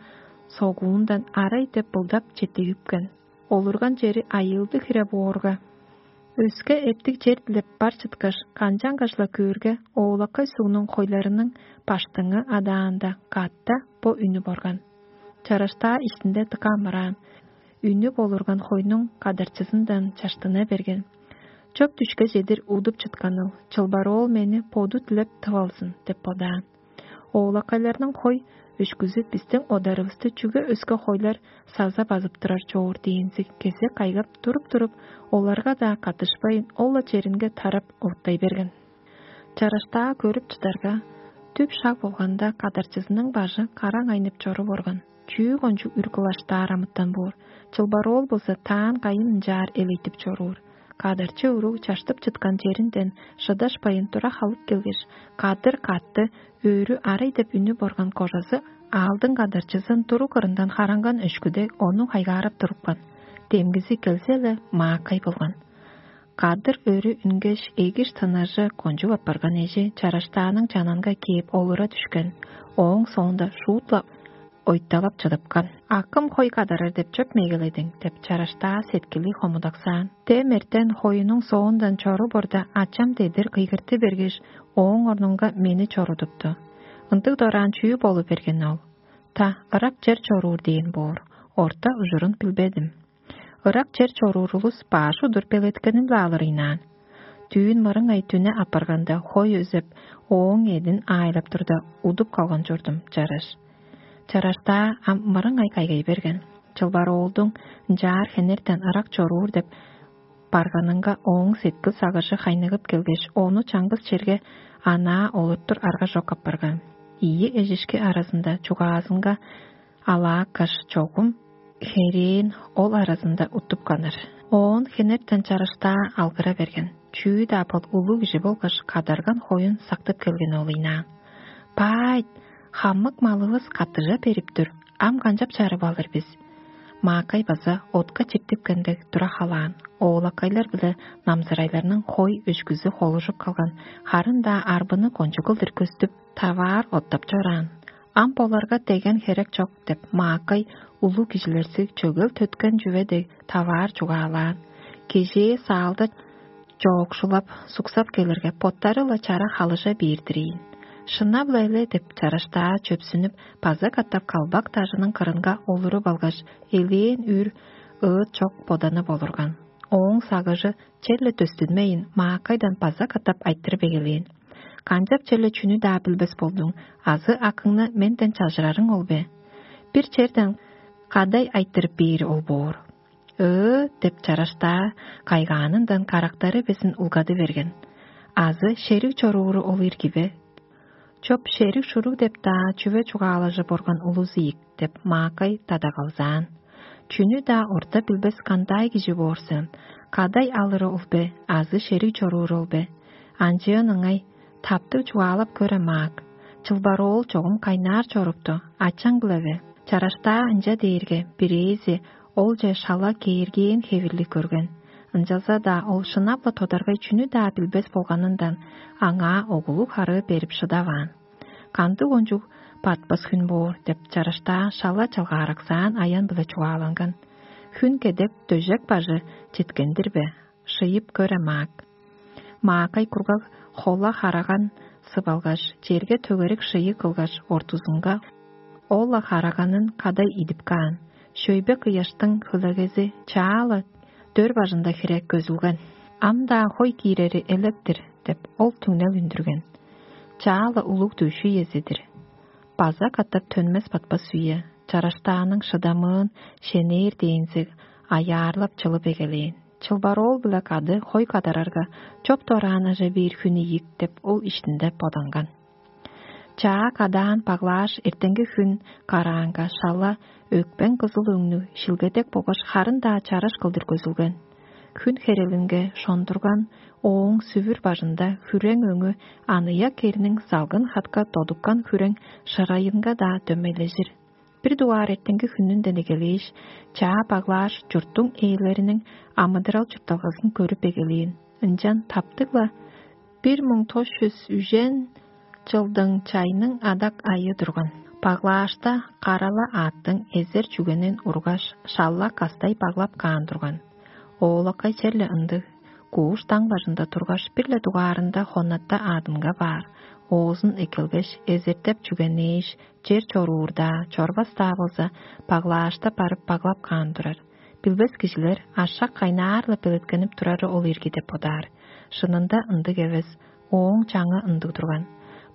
согуундан арай деп былдап четтигипкен. Олурган чери айыылдыг хире боорга, өске эптиг чер дилеп бар чыткаш, канчангаш-ла көөрге, оолакай сугнуң хойларының баштыңы адаанда катта бо үнү борган. Чараштаа иштинде дыка амыраан, үнү болурган хойнуң кадарчызындан чаштына берген. Чоп дүшке чедир удуп чытканыл, чылбар оол мени боду дилеп тып алзын деп бодаан. Оолакайларның хой өшкүзү бистиң одарывысты чүге өске хойлар саза базып турар чоор дээнзиг кезек кайгап туруп-туруп, оларга-даа каттышпайн, ол-ла черинге тарап оттай берген. Чараштаа көрүп чыдарга, түп шаг болганда кадарчызының бажы караң айнып чоруп орган. Чүү кончуг үр кылаштаар амытан боор, чылбар оол болза таан кайын ынчаар элейтип чоруур. Кадарчы уруг чаштып чыткан черинден шыдашпайн тура халып келгеш, кадыр катты, өөрү арай деп үнү борган кожазы аалдың кадарчызын туруг кырындан харанган өшкүде ону хайгаарап турупкан. Демгизи келзе-ле, маакай болган. Кадыр өрү үнгеш, эгиш тынажы кончуп апарган эжи чараштааның чананга кээп олура дүшкен. Ооң соонда шуут-ла ойталап чыдыпкан. «Акым хой кадарар деп чоп мегеледиң?» — деп чараштаа сеткили хомудаксаан. Дем эртен хоюнуң соондан чору борда ачам дедир кыйгырты бергеш, ооң орнунга мени чорудупту. Ындыг дораан чүү болу берген ол? Та, ырак чер чоруур дээн боор. Орта ужурун билбедим. Ырак чер чоруур улус баш удур белеткенип-ла алыр ыйнаан. Дүүн мырыңай дүне апарганда хой өзеп, ооң эдин аайлап турда, удуп калган чордум, чараш. Чараштаа ам мырыңай кайгай берген. Чылбар оолдуң ынчаар хенертен ырак чоруур деп барганынга ооң сеткил сагыжы хайныгып келгеш, ону чаңгыс черге анаа олуртур арга чок апарган. Ийи эжишки аразында чугаазынга алааккаш чогум херээн ол аразында уттуп каныр. Оон хенертен чарыштаа алгыра берген. Чүү-даа бол улуг кижи болгаш кадарган хоюн сактып келген ол ыйнаан. «Баайт, хамык малывыс каттыжа берип тур, ам канчап чарып алыр бис?» Маакай база отка чиптипкендек тура халаан, оолакайлар биле намзырайларның хой өшкүзү холужуп калган, харын-даа арбыны кончуг кылдыр көстүп, таваар оттап чораан. Ам боларга деген херек чок деп, маакай улуг кижилерзиг чөгел төткен чүве дег таваар чугаалаан. Кежээ саалда чоокшулап, суксап келирге, боттары-ла чара халыжа бээр-дир ийин. «Шынап-ла эле» деп, чараштаа чөпсүнүп, база катап калбак дажының кырынга олуруп алгаш, элээн үр ыыт чок боданы болурган. Ооң сагыжы черле дөстүнмейн, маакайдан база катап айтырып эгелээн: «Канчап черле чүнү-даа билбес болдуң, азы акыңны менден чажырарың ол бе? Бир черден кадай айтырып бээри ол боор». «Ыы» деп, чараштаа кайгаанындан карактары безин улгады берген. «Азы шериг чорууру ол ирги бе?» Чоп шериг-шуруг деп-даа чүве чугаалажып орган улус ийик деп маакай дадагалзаан. Чүнү-даа орта билбес кандай кижи боор сен, кадай алыры ол бе азы шериг чоруур ол бе? Анчыын ыңай, таптыг чугаалап көре маак. Чылбар оол чогум кайнаар чорупту, ачаң-биле бе? Чараштаа ынча дээрге бирээзи олче шала кээргээн хевирлиг көрген. Ынчалза-даа ол шынап-ла тодаргай чүнү-даа билбес болганындан аңаа оглуг харыы берип шыдаваан. Кандыг ончуг батпас хүн боор деп чараштаа шала чалгаараксаан аян-биле чугааланган. Хүн кедек дөжек бажы четкен-дир бе? Шыйып көре маак. Маакай кургаг хола хараган сып алгаш, черге төгерик шыйы кылгаш, ортузунга ол-ла хараганын кадай идип каан. Шөйбе кыяштың хөлегези чаа-ла дөр бажында хире көзүлген. Ам-даа хой киирери элек-тир деп, ол түңнел үндүрген. Чаа-ла улуг дүъш үези-дир. База катап төнмес-батпас үе, чараштааның шыдамыын шенээр дээнзиг аяарлап чылып эгелээн. Чылбар оол-биле кады хой кадарарга, чоп дораан ажа бээр хүн ийик деп, ол иштинде боданган. Чаа кадаан баглааш, эртенги хүн караанга шала өкпең кызыл өңнүг шилгедек болгаш харын-даа чараш кылдыр көзүлген. Хүн херелинге шондурган ооң сүвүр бажында хүрең өңү аныяк керниң залгын хатка додуккан хүрең шырайынга-даа дөмейлежир. Бир дугаар эртенги хүнүнден эгелээш, чаа баглааш, чурттуң ээлериниң амыдырал чуртталгазын көрүп эгелээн. Ынчан таптыг-ла бир муң тос чүс үжен чылдың чайның адак айы турган. Баглаашта карала аъттың эзер чүгенин ургаш, шалла кастай баглап каан турган. Оолакай черле ындыг. Кууш даң бажында тургаш, бир-ле дугаарында хоннатта аадынга баар. Оозун эккелгеш, эзертеп чүгенээш, чер чоруурдаа, чорбас-даа болза, баглаашта барып баглап каан турар. Билбес кижилер ашак кайнаар-ла белеткенип турары ол ирги деп бодаар. Шынында ындыг эвес, ооң чаңы ындыг турган.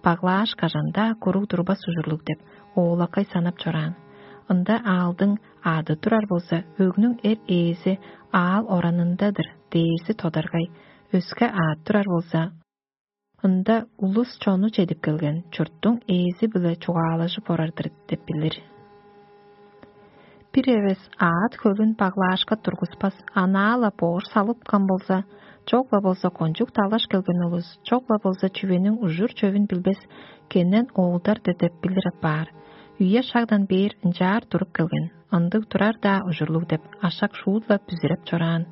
Баглааш кажан-даа куруг турбас ужурлуг деп, оолакай санап чораан. Ында аалдың аады турар болза, өгнүң эр ээзи аал оранында-дыр дээрзи тодаргай, өске аът турар болза, ында улус чону чедип келген, чурттуң ээзи-биле чугаалажып орар-дыр деп билир. Бир эвес аът хөлүн баглаашка тургуспас, анаа-ла боор салыпкан болза, чок-ла болза кончуг далаш келген улус, чок-ла болза чүвениң ужур-чөвүн билбес кенен оолдар-дыр деп билир апаар. Үе-шагдан бээр ынчаар туруп келген, ындыг турар-даа ужурлуг деп, ашак шуут-ла бүзүреп чораан.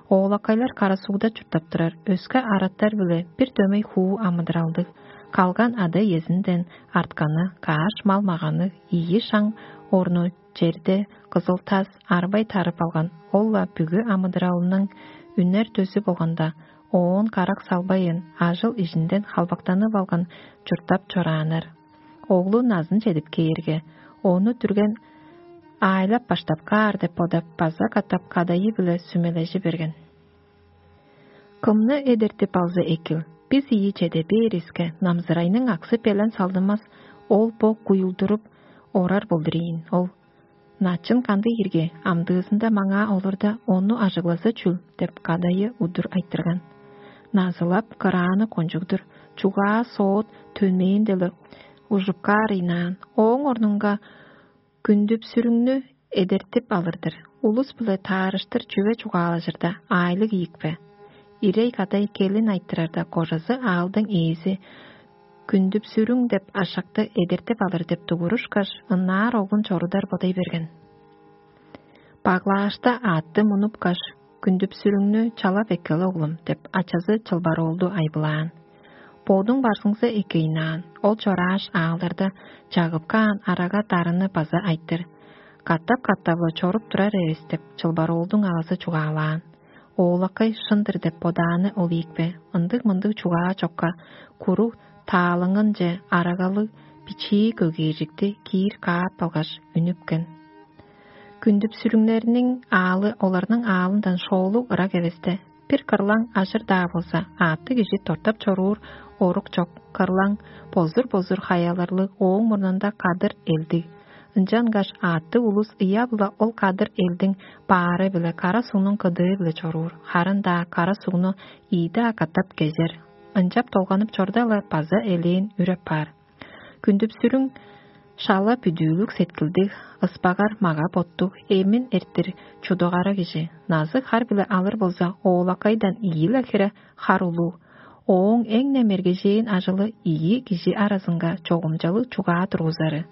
Оолакайлар кара сугда чурттап турар, өске араттар-биле бир дөмей хуу амыдыралдыг. Калган ада-иезинден артканы, каш мал-маганныг, ийи шаң орну черде кызыл тас арбай тарып алган, ол-ла бүгү амыдыралының үнер дөзү болганда, оон карак салбайын, ажыл-ижинден халбактанып алган чурттап чорааннар. Оглу назын чедип кээрге, ону дүрген аайлап баштап каар деп бодап, база катап кадайы-биле сүмележи берген. Кымны эдертип алза экил, бис ийи чеде бээривиске, намзырайның аксы-белен салдынмас, ол бо куюлдуруп орар болдур ийин ол. Начын кандыг ирге, амдыызында маңаа олурда, ону ажыглаза чүл деп, кадайы удур айтырган. Назылап кырааны кончуг-дур, чугаа соот төнмээн-дела ужуп каар ыйнаан. Ооң орнунга күндүпсүрүңнү эдертип алыр-дыр. Улус-биле таарыштыр чүве чугаалажырда, аайлыг ийикпе? Ирей кадай келин айтырарда, кожазы аалдың ээзи күндүпсүрүң деп ашакты эдертип алыр деп дугурушкаш, ынаар оглун чорудар бодай берген. Баглаашта аътты мунупкаш, күндүпсүрүңнү чалап эккел, оглум деп, ачазы чылбар оолду айбылаан. Бодуң барзыңза экейнаан, ол чорааш аалдарда чагып каан арага дарыны база айтыр. Катап-катап-ла чоруп турар эвес деп, чылбар оолдуң авазы чугаалаан. Оолакай шын-дыр деп бодааны ол ийикпе, ындыг-мындыг чугаа чокка, куруг таалыңынче арагалыг бичии көгээржикти киир каап алгаш, үнүпкен. Күндүпсүрүңнерниң аалы оларның аалындан шоолуг ырак эвесте, бир кырлаң ажыр-даа болза, аъттыг кижи тортап чоруур орук чок, кырлаң бозур-бозур хаяларлыг, ооң мурнунда кадыр элдиг. Ынчангаш аъттыг улус ыяп-ла ол кадыр элдиң баары-биле кара сугнуң кыдыы-биле чоруур, харын-даа кара сугну ийи-даа катап кезер. ынчап долганып чорда-ла база элээн үр апаар. Күндүп-сүрүң шала бүдүүлүг сеткилдиг, ыспагар мага-боттуг, эмин эрттир чудугара кижи. Назы хар-биле алыр болза, оолакайдан ийи-ле хире хар улуг. Ооң эң-не мергежээн ажылы ийи кижи аразынга чогумчалыг чугаа тургузары.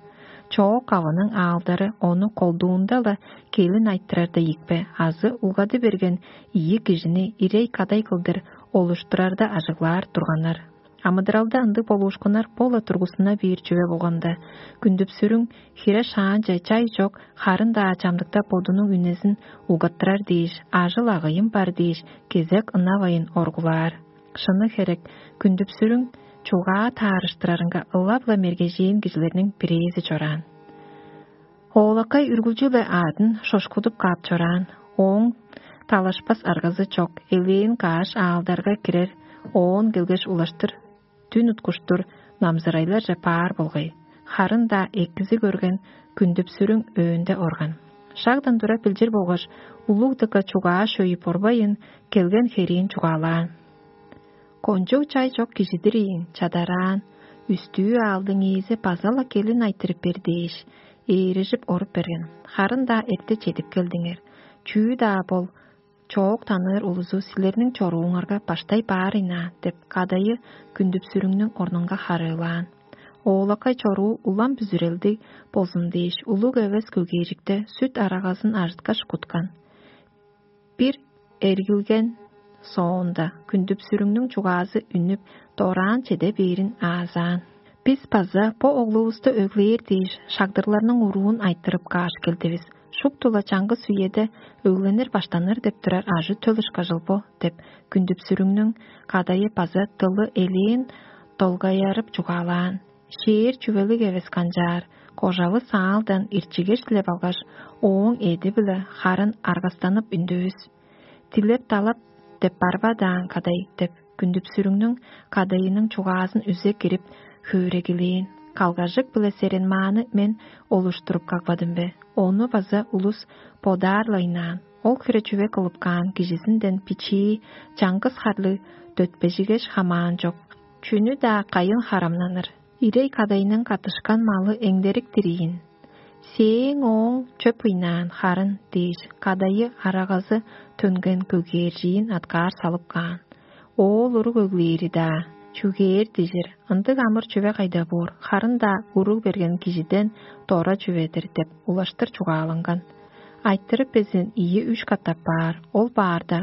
Чоок авының аалдары ону колдуунда-ла келин айттырарда ийикпе азы улгады берген ийи кижини ирей-кадай кылдыр олуштурарда ажыглаар турганнар. Амыдыралда ындыг болуушкуннар бо-ла тургустуна бээр чүве болганда, күндүп-сүрүң хире шаанче чай чок, харын-даа чамдыкта бодунуң үнезин угаттырар дээш, ажыл-агыйын бар дээш, кезек ынавайын оргулаар. Шыны херек, күндүп-сүрүң чугаа таарыштырарынга ылап-ла мергежээн кижилерниң бирээзи чораан. Оолакай үргүлчү-ле аадын шошкудуп каап чораан, ооң талашпас аргазы чок, элээн каш аалдарга кирер, оон келгеш улаштыр, дүн уткуштур намзырайларже баар болгай. Харын-даа экизи көрген күндүп-сүрүң өөнде орган. Шагдан тура билчир болгаш, улуг дыка чугаа шөйүп орбайын, келген хериин чугаалаан. Кончуг чай чок кижи-дир ийин, чадараан, үстүү аалдың ээзи база-ла келин айтырып бер дээш, ээрежип оруп берген. Харын-даа эрте чедип келдиңер. Чүү-даа бол, чоок таныыр улузу силерниң чорууңарга баштай баар ыйнаан деп кадайы күндүп-сүрүңнүң орнунга харыылаан. Оолакай чоруу улам бүзүрелдиг болзун дээш, улуг эвес көгээржикте сүт арагазын ажыткаш куткан. Бир эргилген соонда күндүп-сүрүңнүң чугаазы үнүп, дораан чеде бээрин аазаан. Бис база бо оглувусту өглээр дээш, шагдырларның уруун айтырып кааш келдивис. Шупту-ла чаңгыс үеде өгленир баштаныр деп турар ажы-төл ышкажыл бо деп, күндүп-сүрүңнүң кадайы база дылы элээн долгайарып чугаалаан. Шээр чүвелиг эвес канчаар, кожавыс аалдан ирчигеш дилеп алгаш, ооң эди-биле харын аргастанып үндүвүс. Дилеп-далап деп барбадаан кадай деп, күндүп-сүрүңнүң кадайының чугаазын үзе кирип, хөөрегилээн. Калгажык-биле серенмааны мен олуштуруп кагбадым бе? Ону база улус бодаар-ла ыйнаан. Ол хире чүве кылып каан кижизинден бичии чаңгыс харлыг дөтпежигеш хамаан чок. Чүнү-даа кайын харамнаныр. Ирей кадайның каттышкан малы эңдерик-тир ийин. Сээң ооң чөп ыйнаан харын дээш, кадайы арагазы төнген көгээржиин аткаар салып каан. Оол уруг өглээри-даа, чүгээр дижир, ындыг амыр чүве кайда боор, харын-даа уруг берген кижиден дора чүве-дир деп улаштыр чугаалынган. Айтырып безин ийи-үш катап баар, ол баарда